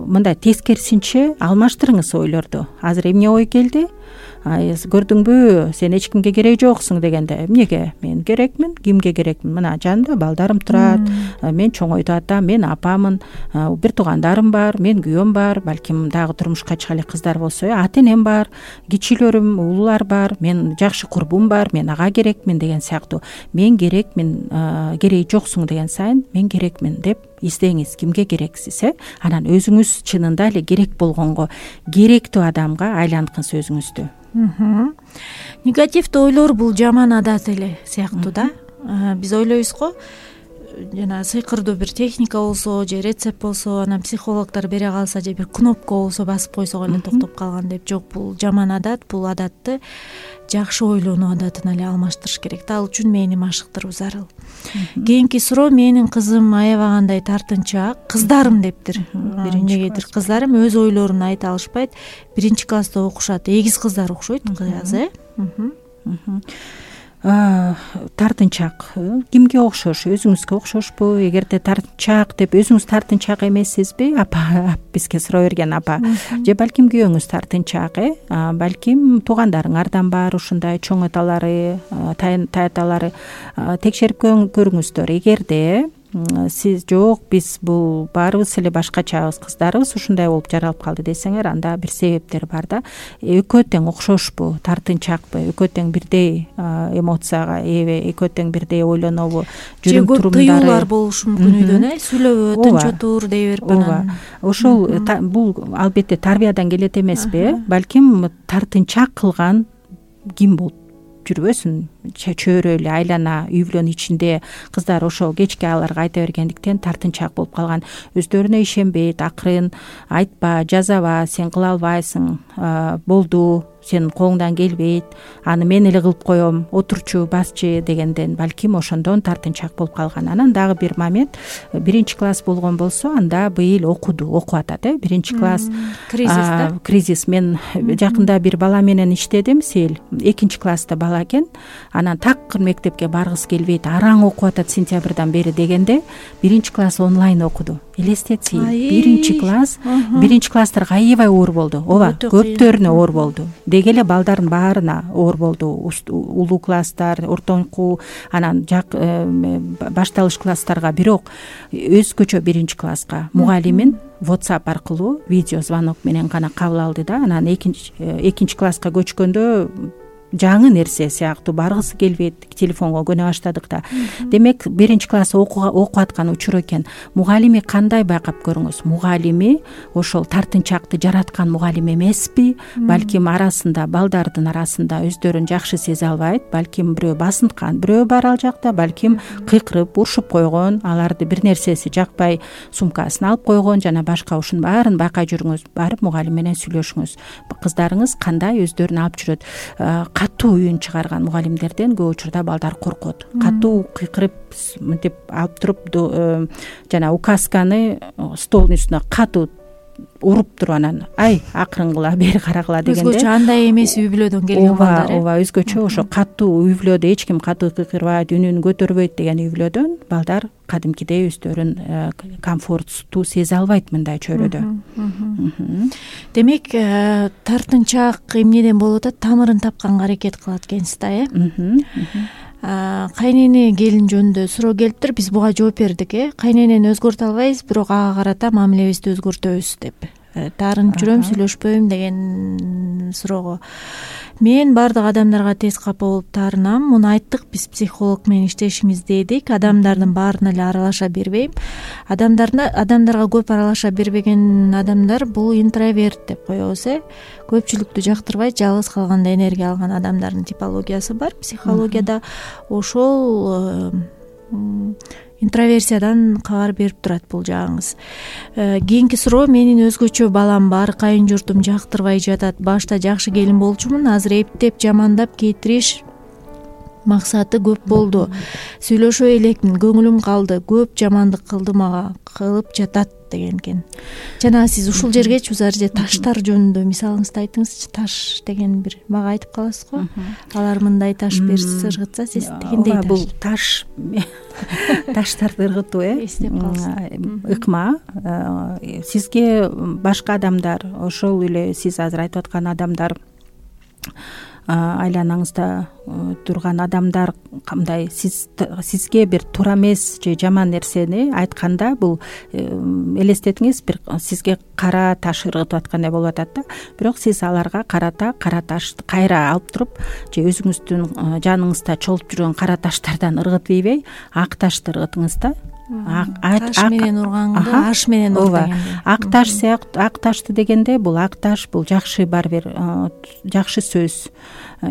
Мындай тескерисинче алмаштырыңыз ойлорду. Азыр эмне ой келди? Көрдүңбү, сен эч кимге кереги жоксуң дегенде, эмнеге? Мен керекмин, кимге керекмин? Мына жанымда балдарым турат, мен чоңойдуп атам, мен апамын, бир туугандарым бар, мен күйөөм бар, балким дагы турмушка чыга элек кыздар болсо, ата энем бар, кичилөрүм, уулар бар, мен жакшы курбум бар, мен ага керекмин деген сыяктуу. Мен керекмин, кереги жоксуң деген сайын мен керекмин деп издеңиз, кимге керексиз, анан өзүңүз чынында эле керек болгонго, керектүү адамга айланткыңыз өзүңүздү. Негативдүү ойлор бул жаман адат эле сыяктуу да. Биз ойлойбуз го, жана сыйкырдуу бир техника болсо же рецепт болсо, анан психологдор бере калса же бир кнопка болсо басып койсок эле токтоп калган деп. Жок, бул жаман адат. Бул адатты жакшы ойлонуу адатына эле алмаштырыш керек. Ал үчүн мээни машыктыруу зарыл. Кийинки суроо: менин кызым аябагандай тартынчаак, кыздарым дептир. Эмнегедир кыздарым өз ойлорун айта алышпайт. 1-класста окушат. Эгиз кыздар окшойт кыз, тартынчаак кимге окшош? Өзүңүзгө окшошпу? Эгерде тартынчаак деп өзүңүз тартынчаак эмессизби? Апа бизге суроо берген апа. Же балким күйөөңүз тартынчаак, балким туугандарыңардан бар ушундай чоң аталары, таяталары. Текшерип көрүңүздөр. Эгерде сиз жок, биз бул баарыбыз эле башкачабыз, кыздарыбыз ушундай болуп жаралып калды десеңер, анда бир себептер бар да. Экөө тең окшошпу, тартынчаакпы, экөө тең бирдей эмоцияга ээ, экөө тең бирдей ойлонобу, жүрүм турумдары. Тыюулар болушу мүмкүн үйдөн, сүйлөбө, тынч отур дей берип анан. Ошол бул албетте тарбиядан келет эмеспи? Балким тартынчаак кылган ким болуп жүрбөсүн, чөйрө эле айлана үй бүлөнүн ичинде кыздар ошол кечке аларга айта бергендиктен тартынчаак болуп калган. Өздөрүнө ишенбейт, акырын айтпа, жазаба, сен кыла албайсың, болду, сенин колуңдан келбейт, аны мен эле кылып коем, отурчу, басчы дегенден балким ошондон тартынчаак болуп калган. Анан дагы бир момент, 1-класс болгон болсо, анда быйыл окуп атат, 1-класс кризис. Мен жакында бир бала менен иштедим, 2-класста бала экен. Анан такыр мектепке баргысы келбейт, араң окуп атат сентябрдан бери дегенде 1-класс онлайн окуду. Элестетси, 1-класстарга аябай оор болду. Ооба, көптөрүнө оор болду. Деги эле балдардын баарына оор болду. Улуу класстар, ортоңку, анан башталыш класстарга. Бирок өзгөчө 1-класска мугалимин WhatsApp аркылуу видео звонок менен гана кабыл алды да. Анан 2-класска көчкөндө жаңы нерсе сыяктуу баргысы келбейт, телефонго көнө баштадык да. Демек 1-класс окуп аткан учур экен. Мугалими кандай байкап көрүңүз? Мугалими ошол тартынчаакты жараткан мугалим эмеспи? Балким арасында, балдардын арасында өздөрүн жакшы сезе албайт, балким бирөө басынткан, бирөө бар ал жакта, балким кыйкырып, урушуп койгон, аларды бир нерсеси жакпай сумкасын алып койгон жана башка, ушунун баарын байкай жүрүңүз, барып мугалим менен сүйлөшүңүз. Кыздарыңыз кандай өздөрүн алып жүрөт? Катуу үн чыгарган мугалимдерден көп учурда балдар коркот. Катуу кыйкырып мынтип алып туруп жана указканы столдун үстүнө катуу уруп туруп анан акырынгыла, бери карагыла дегенде. Өзгөчө андай эмес үй бүлөдөн келген балдар. Ооба, өзгөчө ошо катуу үй бүлөдө эч ким катуу кыйкырбайт, үнүн көтөрбөйт деген үй бүлөдөн балдар кадимкидей өздөрүн комфорттуу сезе албайт мындай чөйрөдө. Демек, тартынчаак эмнеден болуп атат? Тамырын тапканга аракет кылат экенсиз да, Кайнене келин жөнүндө суроо келиптир, биз буга жооп бердик, Кайненени өзгөртө албайбыз, бирок ага карата мамилебизди өзгөртөбүз деп. таарынып жүрөм, сүйлөшпөйм деген суроого. Мен баардык адамдарга тез капа болуп таарынам. Муну айттык, биз психолог менен иштешимизде эдик. Адамдардын баарына эле аралаша бербейм. Адамдарга көп аралаша бербеген адамдар бул интроверт деп коебуз. Көпчүлүктү жактырбайт, жалгыз калганда энергия алган адамдардын типологиясы бар психологияда. Ошол интроверсиядан кабар берип турат бул жагыңыз. Кийинки суроо: менин өзгөчө балам бар, кайын журтум жактырбай жатат. Башта жакшы келин болчумун, азыр эптеп жамандап кетириш максаты көп болду. Сүйлөшө элекмин, көңүлүм калды, көп жамандык кылды мага, кылып жатат деген экен. Жана сиз ушул жергечи же таштар жөнүндө мисалыңызды айтыңызчы. Таш деген бир мага айтып каласыз го. Алар мындай таш берсе ыргытса, сиз дегендей таш. Бул таш таштарды ыргытуу эстеп калсыз. Ыкма. Сизге башка адамдар, ошол эле сиз азыр айтып аткан адамдар, айланаңызда турган адамдар кандай сизге бир туура эмес же жаман нерсени айтканда, бул элестетиңиз, бир сизге кара таш ыргытып аткандай болуп атат да. Бирок сиз аларга карата кара ташты кайра алып туруп, же өзүңүздүн жаныңызда чолуп жүргөн кара таштардан ыргытпайбы, ак ташты ыргытыңыз да. Таш менен урганды аш менен ур дегенде. Ак таш сыяктуу, ак ташты дегенде, бул ак таш бул жакшы бар бир жакшы сөз,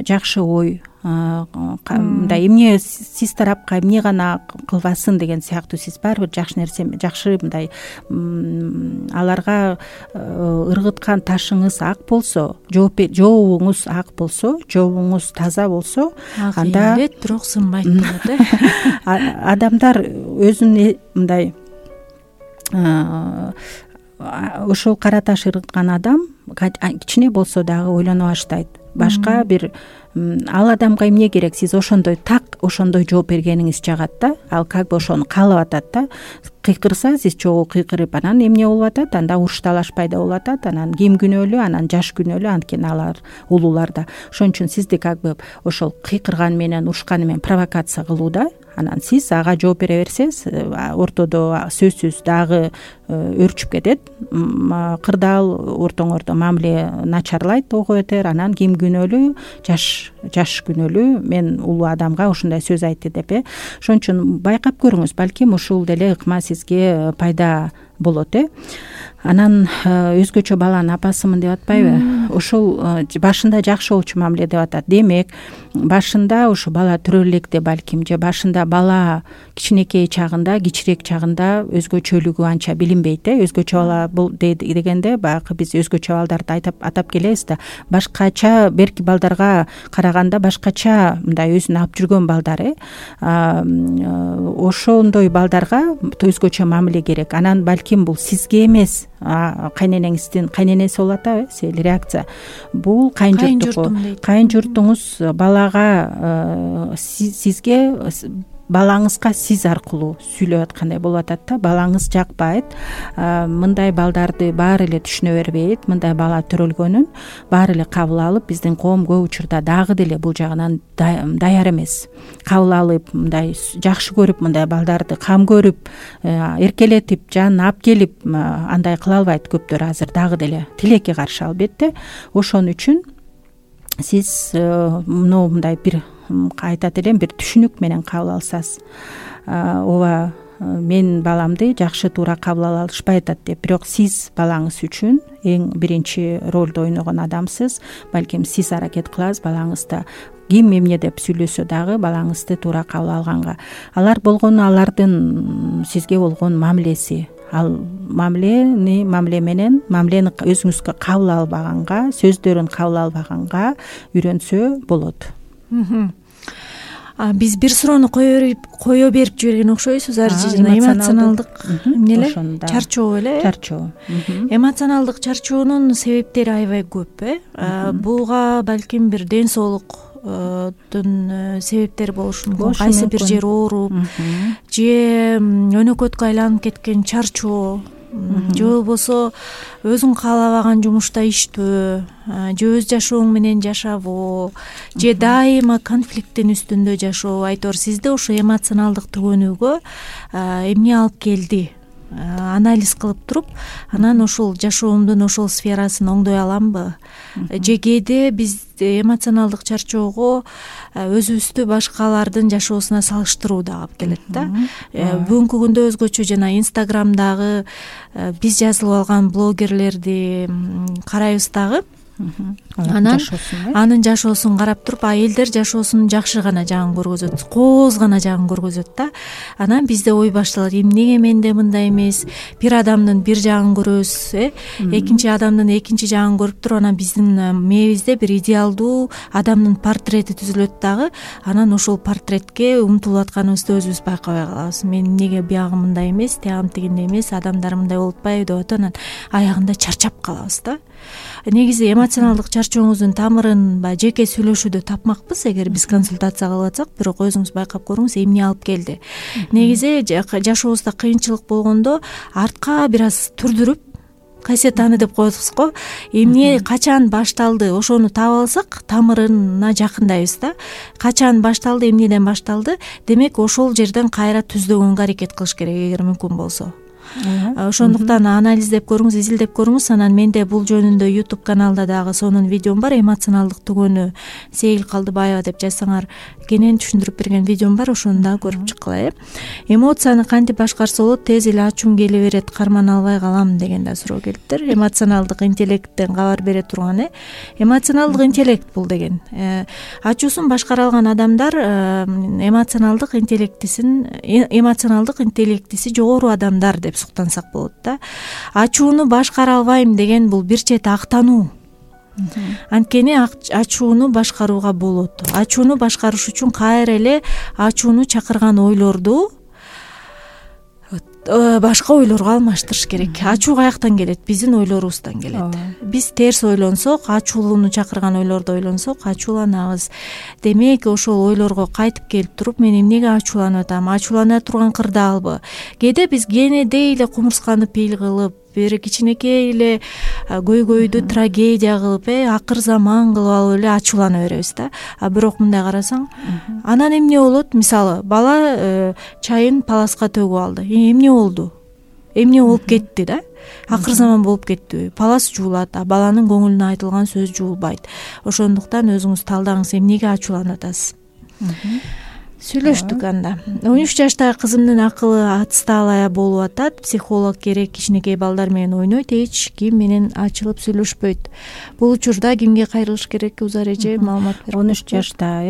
жакшы ой, мындай эмне сиз тарапка эмне гана кылбасын деген сыяктуу, сиз баары бир жакшы нерсе, жакшы мындай аларга ыргыткан ташыңыз ак болсо, жообуңуз ак болсо, жообуңуз таза болсо, анда бирок сынбайт болот. Адамдар өзүн мындай ошол кара таш ыргыткан адам кичине болсо дагы ойлоно баштайт. Башка бир ал адамга эмне керек, сиз ошондой ошондой жооп бергениңиз жагат да. Ал как бы ошону каалап атат да. Кыйкырса, сиз чогуу кыйкырып, анан эмне болуп атат? Анда уруш талаш пайда болуп атат. Анан ким күнөөлүү? Анан жаш күнөөлүү, анткени алар улуулар да. Ошон үчүн сизди как бы ошол кыйкырган менен, урушканы менен провокация кылуу да. Анан сиз ага жооп бере берсеңиз, ортодо сөзсүз дагы өрчүп кетет. Кырдаал ортоңордо мамиле начарлайт, ого өтөр. Анан ким күнөөлүү? Жаш күнөөлүү. Мен улуу адамга ушундай сөз айтты деп. Ошон үчүн байкап көрүңүз, балким ушул деле ыкма сизге пайда болот. Анан өзгөчө баланын апасымын деп атпайбы? Ошол башында жакшы болчу мамиле деп атат. Демек, башында ушу бала төрө электе балким, же башында бала кичинекей чагында, кичирээк чагында өзгөчөлүгү анча билинбейт. Өзгөчө бала бул дегенде баягы биз өзгөчө балдарды атап келебиз да. Башкача, берки балдарга караганда башкача мындай өзүн алып жүргөн балдар. Ошондой балдарга өзгөчө мамиле керек. Анан балким бул сизге эмес, кайненеңиздин кайненеси болуп атабы, реакция. Бул кайын журтуңуз балага сизге балаңызга сиз аркылуу сүйлөп аткандай болуп атат да. Балаңыз жакпайт, мындай балдарды баары эле түшүнө бербейт, мындай бала төрөлгөнүн баары эле кабыл алып, биздин коом көп учурда дагы деле бул жагынан даяр эмес. Кабыл алып, мындай жакшы көрүп, мындай балдарды кам көрүп, эркелетип, жанына алып келип, андай кыла албайт көптөр азыр дагы деле. Тилекке каршы албетте. Ошон үчүн сиз мындай бир айтат элем, бир түшүнүк менен кабыл алсаңыз, ооба, мен баламды жакшы туура кабыл ала алышпай атат деп. Бирок сиз балаңыз үчүн эң биринчи ролду ойногон адамсыз. Балким сиз аракет кыласыз балаңызды ким эмне деп сүйлөсө дагы балаңызды туура кабыл алганга. Алар болгону алардын сизге болгон мамилеси. Ал мамиле менен мамилени өзүңүзгө кабыл албаганга, сөздөрүн кабыл албаганга үйрөнсө болот. Биз бир суроону кое берип жиберген окшойсуз. Эмоционалдык эмнеле? Чарчоо эле? Чарчоо. Эмоционалдык чарчоонун себептери аябай көп. Буга балким бир ден соолуктун себептери болушу мүмкүн. Кайсы бир жер ооруп, же өнөкөткө айланып кеткен чарчоо, же болбосо өзүң каалабаган жумушта иштөө, же өз жашооң менен жашабоо, же дайыма конфликттин үстүндө жашоо. Айтор сизде ошо эмоционалдык төгөнүүгө эмне алып келди? анализ кылып туруп анан ушул жашоомдун ошол сферасын оңдой аламбы же кээде биз эмоционалдык чарчоого өзүбүздү башкалардын жашоосуна салыштыруу дагы алып келет да. Бүгүнкү күндө өзгөчө жана инстаграмдагы биз жазылып алган блогерлерди карайбыз дагы. Анан анын жашоосун карап туруп элдер жашоосунун жакшы гана жагын көргөзөт, кооз гана жагын көргөзөт да. Анан бизде ой башталат, эмнеге менде мындай эмес? Бир адамдын бир жагын көрөбүз, экинчи адамдын экинчи жагын көрүп туруп анан биздин мээбизде бир идеалдуу адамдын портрети түзүлөт дагы. Анан ошол портретке умтулуп атканыбызды өзүбүз байкабай калабыз. Мен эмнеге биягым мындай эмес, тиягым тигиндей эмес, адамдар мындай болуп атпайбы деп атып анан аягында чарчап калабыз да. Негизи эмоционалдык чарчооңуздун тамырын баягы жеке сүйлөшүүдө тапмакпыз эгер биз консультация кылып атсак, бирок өзүңүз байкап көрүңүз эмне алып келди. Негизи жашообузда кыйынчылык болгондо артка бир аз түрдүрүп кассетаны деп коебуз го, эмне качан башталды ошону таап алсак тамырына жакындайбыз да. Качан башталды, эмнеден башталды, демек ошол жерден кайра түздөгөнгө аракет кылыш керек эгер мүмкүн болсо. Ошондуктан анализдеп көрүңүз, изилдеп көрүңүз. Анан менде бул жөнүндө YouTube каналда дагы сонун видеом бар. Эмоционалдык түгөнү Сейил Калдыбаева деп жазсаңар кенен түшүндүрүп берген видеом бар, ошону дагы көрүп чыккыла. Эмоцияны кантип башкарса болот? Тез эле ачуум келе берет, кармана албай калам деген да суроо келиптир. Эмоционалдык интеллекттен кабар бере турган. Эмоционалдык интеллект бул деген ачуусун башкара алган адамдар эмоционалдык интеллектиси жогору адамдар деп суктансак болот да. Ачууну башкара албайм деген бул бир чети актануу. Анткени ачууну башкарууга болот. Ачууну башкарыш үчүн кайра эле ачууну чакырган ойлорду башка ойлорго алмаштырыш керек. Ачуу каяктан келет? Биздин ойлорубуздан келет. Биз терс ойлонсок, ачуулууну чакырган ойлорду ойлонсок, ачууланабыз. Демек, ошол ойлорго кайтып келип туруп, мен эмнеге ачууланып атам? Ачуулана турган кырдаалбы? Кээде биз кенедей эле кумурсканы пил кылып, бир кичинекей эле көйгөйдү трагедия кылып, акыр заман кылып алып эле ачуулана беребиз да. Бирок мындай карасаң, анан эмне болот? Мисалы, бала чайын паласка төгүп алды. Эмне болду? Эмне болуп кетти да? Акыр заман болуп кеттиби? Палас жуулат, баланын көңүлүнө айтылган сөз жуулбайт. Ошондуктан өзүңүз талдаңыз, эмнеге ачууланып атасыз? Сүйлөштүк анда. 13 жаштагы кызымдын акылы отсталая болуп атат. Психолог керек, кичинекей балдар менен ойнойт, эч ким менен ачылып сүйлөшпөйт. Бул учурда кимге кайрылыш керек? Узар эже маалымат берип. 13 жашта,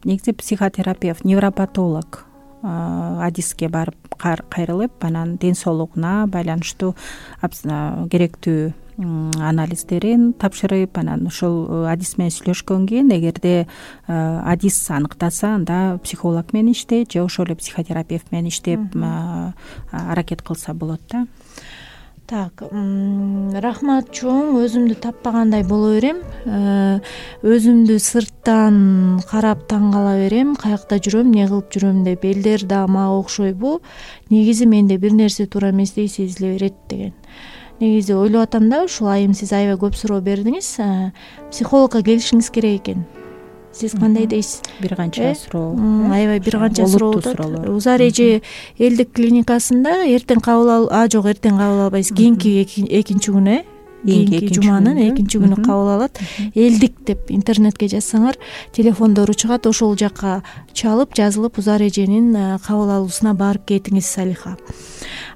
негизи психотерапевт, невропатолог адиске барып кайрылып, анан ден соолугуна байланыштуу керектүү анализдерин тапшырып, анан ошол адис менен сүйлөшкөндөн кийин эгерде адис аныктаса, анда психолог менен иштейт же ошол эле психотерапевт менен иштеп аракет кылса болот да. Так, рахмат чоң, өзүмдү таппагандай боло берем. Өзүмдү сырттан карап таң кала берем, каякта жүрөм, эмне кылып жүрөм деп. Элдер да мага окшойбу? Негизи менде бир нерсе туура эместей сезиле берет деген. Негизи ойлоп атам да, ушул айым сиз аябай көп суроо бердиңиз. Психологко келишиңиз керек экен. Сиз кандай дейсиз? Бир канча суроо. Аябай бир канча суроо болот. Узар эже элдик клиникасында эртең кабыл жок, эртең кабыл албайсыз. Кийинки экинчи күнү, кийинки жуманын экинчи күнү кабыл алат. Элдик деп интернетке жазсаңар, телефондору чыгат, ошол жакка чалып, жазылып узар эженин кабыл алуусуна барып кетиңиз, Салиха.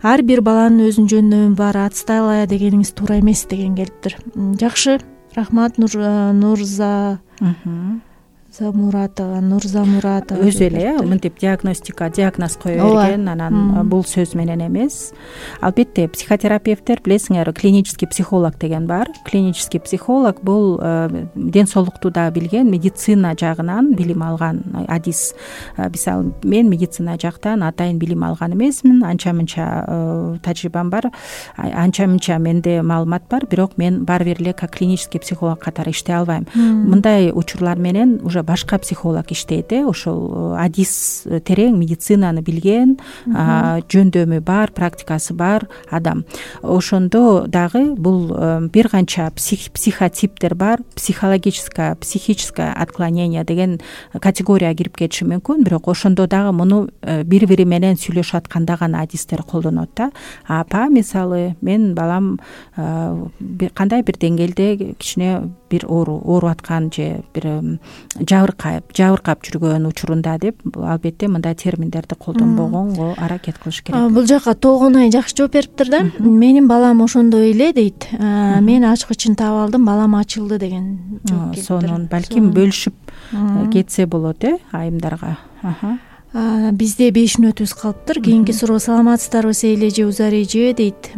Ар бир баланын өзүнүн жөндөмү бар, отсталая дегениңиз туура эмес деген келиптир. Жакшы, рахмат. Нурза Муратова өзү эле мынтип диагноз кое берген, анан бул сөз менен эмес. Албетте психотерапевттер, билесиңер, клинический психолог деген бар. Клинический психолог бул ден соолукту да билген, медицина жагынан билим алган адис. Мисалы, мен медицина жактан атайын билим алган эмесмин, анча-мынча тажрыйбам бар, анча-мынча менде маалымат бар, бирок мен баары бир эле как клинический психолог катары иштей албайм. Мындай учурлар менен уже башка психолог иштейт, ошол адис терең медицинаны билген, жөндөмү бар, практикасы бар адам. Ошондо дагы бул бир канча психотиптер бар. Психическое отклонение деген категорияга кирип кетиши мүмкүн, бирок ошондо дагы муну бири бири менен сүйлөшүп атканда гана адистер колдонот да. Апа мисалы мен балам кандай бир деңгээлде кичине бир ооруп аткан же бир жабыркап жүргөн учурунда деп албетте мындай терминдерди колдонбогонго аракет кылыш керек. Бул жака толгонай жакшы жооп бериптир да. Менин балам ошондой эле дейт. Мен ачкычын таап алдым, балам ачылды деген жооп келиптир. Сонун балким бөлүшүп кетсе болот айымдарга. Бизде 5 мүнөтүбүз калыптыр. Кийинки суроо: саламатсыздарбы Сейле же Узар эже дейт.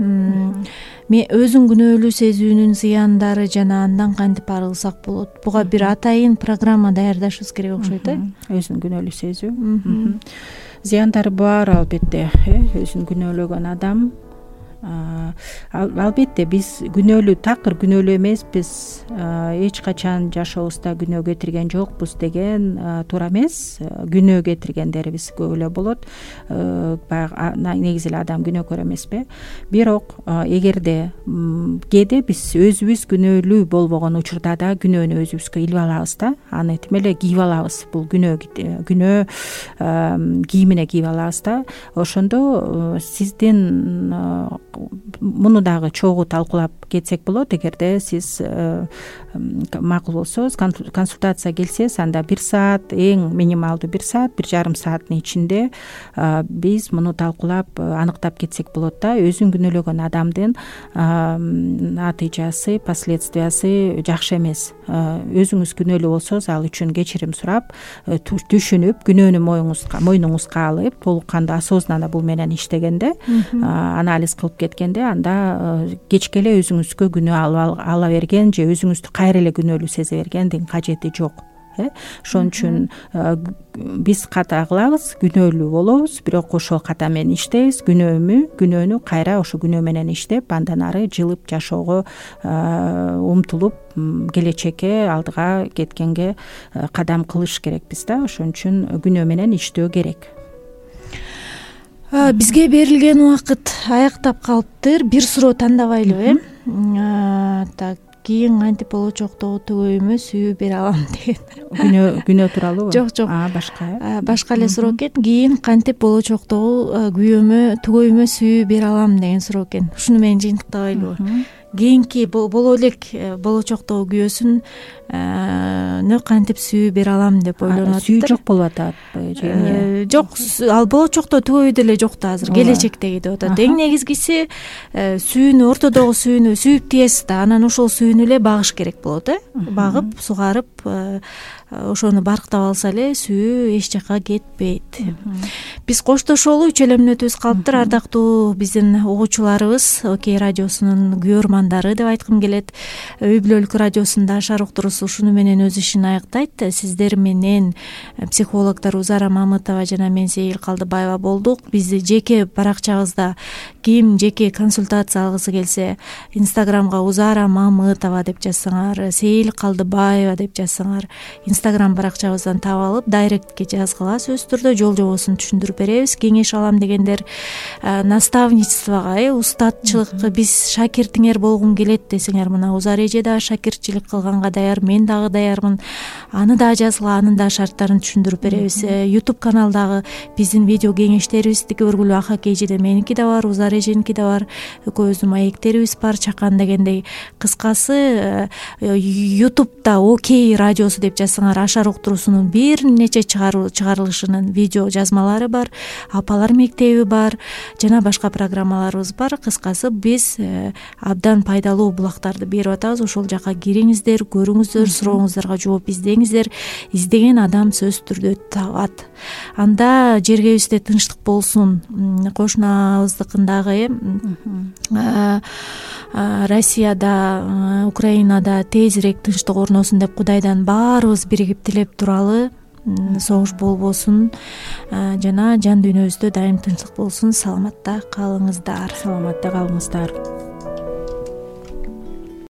Мен өзүн күнөөлүү сезүүнүн зыяндары жана андан кантип арылсак болот? Буга бир атайын программа даярдашыбыз керек окшойт э? Өзүн күнөөлүү сезүү. Зыяндары бар албетте. Өзүн күнөөлөгөн адам албетте биз күнөөлүү, такыр күнөөлүү эмеспиз, эч качан жашообузда күнөө кетирген жокпуз деген туура эмес. Күнөө кетиргендерибиз көп эле болот. Баягы негизи эле адам күнөөкөр эмеспи? Бирок эгерде кээде биз өзүбүз күнөөлүү болбогон учурда да күнөөнү өзүбүзгө илип алабыз да, аны тим эле кийип алабыз. Бул күнөө кийимине кийип алабыз да. Ошондо сиздин муну дагы чогуу талкуулап кетсек болот. Эгерде сиз макул болсоңуз, консультация келсеңиз, анда 1 саат, эң минималдуу 1 саат, 1,5 сааттын ичинде биз муну талкуулап аныктап кетсек болот да. Өзүн күнөөлөгөн адамдын натыйжасы, последствиясы жакшы эмес. Өзүңүз күнөөлүү болсоңуз, ал үчүн кечирим сурап, түшүнүп, күнөөнү мойнуңузга алып, толук кандуу осознанно бул менен иштегенде, анализ кылып кеткенде, анда кечке эле өзүңүзгө күнөө ала берген же өзүңүздү кайра эле күнөөлүү сезе бергендин кажети жок. Ошон үчүн биз ката кылабыз, күнөөлүү болобуз, бирок ошол ката менен иштейбиз. Күнөөнү кайра ошо күнөө менен иштеп, андан ары жылып жашоого умтулуп, келечекке, алдыга кеткенге кадам кылыш керекпиз да. Ошон үчүн күнөө менен иштөө керек. Бизге берилген убакыт аяктап калыптыр. Бир суроо тандабайлыбы? Так, кийин кантип болочоктогу түгөйүмө сүйүү бере алам деген. Күнөө тууралуубу? Жок. Башка. Башка эле суроо экен. Кийин кантип болочоктогу түгөйүмө сүйүү бере алам деген суроо экен. Ушуну менен жыйынтыктабайлыбы? Кийинки боло элек болочоктогу күйөөсүн кантип сүйүү бере алам деп ойлонуп атат. Сүйүү жок болуп атат же? Жок, ал болочокто түгөйү деле жок да азыр, келечектеги деп атат. Эң негизгиси сүйүүнү, ортодогу сүйүүнү сүйүп тийесиз да, анан ошол сүйүүнү эле багыш керек болот, багып, сугарып, ошону барктап алса эле сүйүү эч жакка кетпейт. Биз коштошолу, 3 эле мүнөтүбүз калыптыр. Ардактуу биздин угуучуларыбыз, Окей радиосунун күйөрмандары деп айткым келет. Үй бүлөлүк радиосунда Ашар уктуруусу ушуну менен өз ишин аяктайт. Сиздер менен психологдор Узара Мамытова жана мен Сейил Калдыбаева болдук. Бизди жеке баракчабызда ким жеке консультация алгысы келсе, Инстаграмга Узара Мамытова деп жазсаңар, Сейил Калдыбаева деп жазсаңар, Инстаграм баракчабыздан таап алып, дайректке жазгыла, сөзсүз түрдө жол жобосун түшүндүрүп беребиз. Кеңеш алам дегендер наставничествого, устатчылыкка биз шакиртиңер болгум келет десеңер, мына Узар эже да шакиртчилик кылганга даяр, мен дагы даярмын. Аны да жазгыла, анын да шарттарын түшүндүрүп беребиз. YouTube каналдагы биздин видео кеңештерибиздики өргүлүү Ахак эжеде меники да бар, Узар эженики да бар. Экөөбүздүн маектерибиз бар, чакан дегендей. Кыскасы, YouTube'да Окей радиосу деп жазсаңар, Ашар уктуруусунун бир нече чыгарылышынын видео жазмалары бар, апалар мектеби бар, жана башка программаларыбыз бар. Кыскасы, биз абдан пайдалуу булактарды берип атабыз. Ошол жака кириңиздер, көрүңүздөр, сурооңуздарга жооп издеңиздер. Издеген адам сөзсүз түрдө табат. Анда жергебизде тынчтык болсун. Кошунабыздыкындагы Россияда, Украинада тезирээк тынчтык орносун деп Кудайдан баарыбыз биригип тилеп туралы. Согуш болбосун жана жан дүйнөбүздө дайым тынчтык болсун. Саламатта калыңыздар.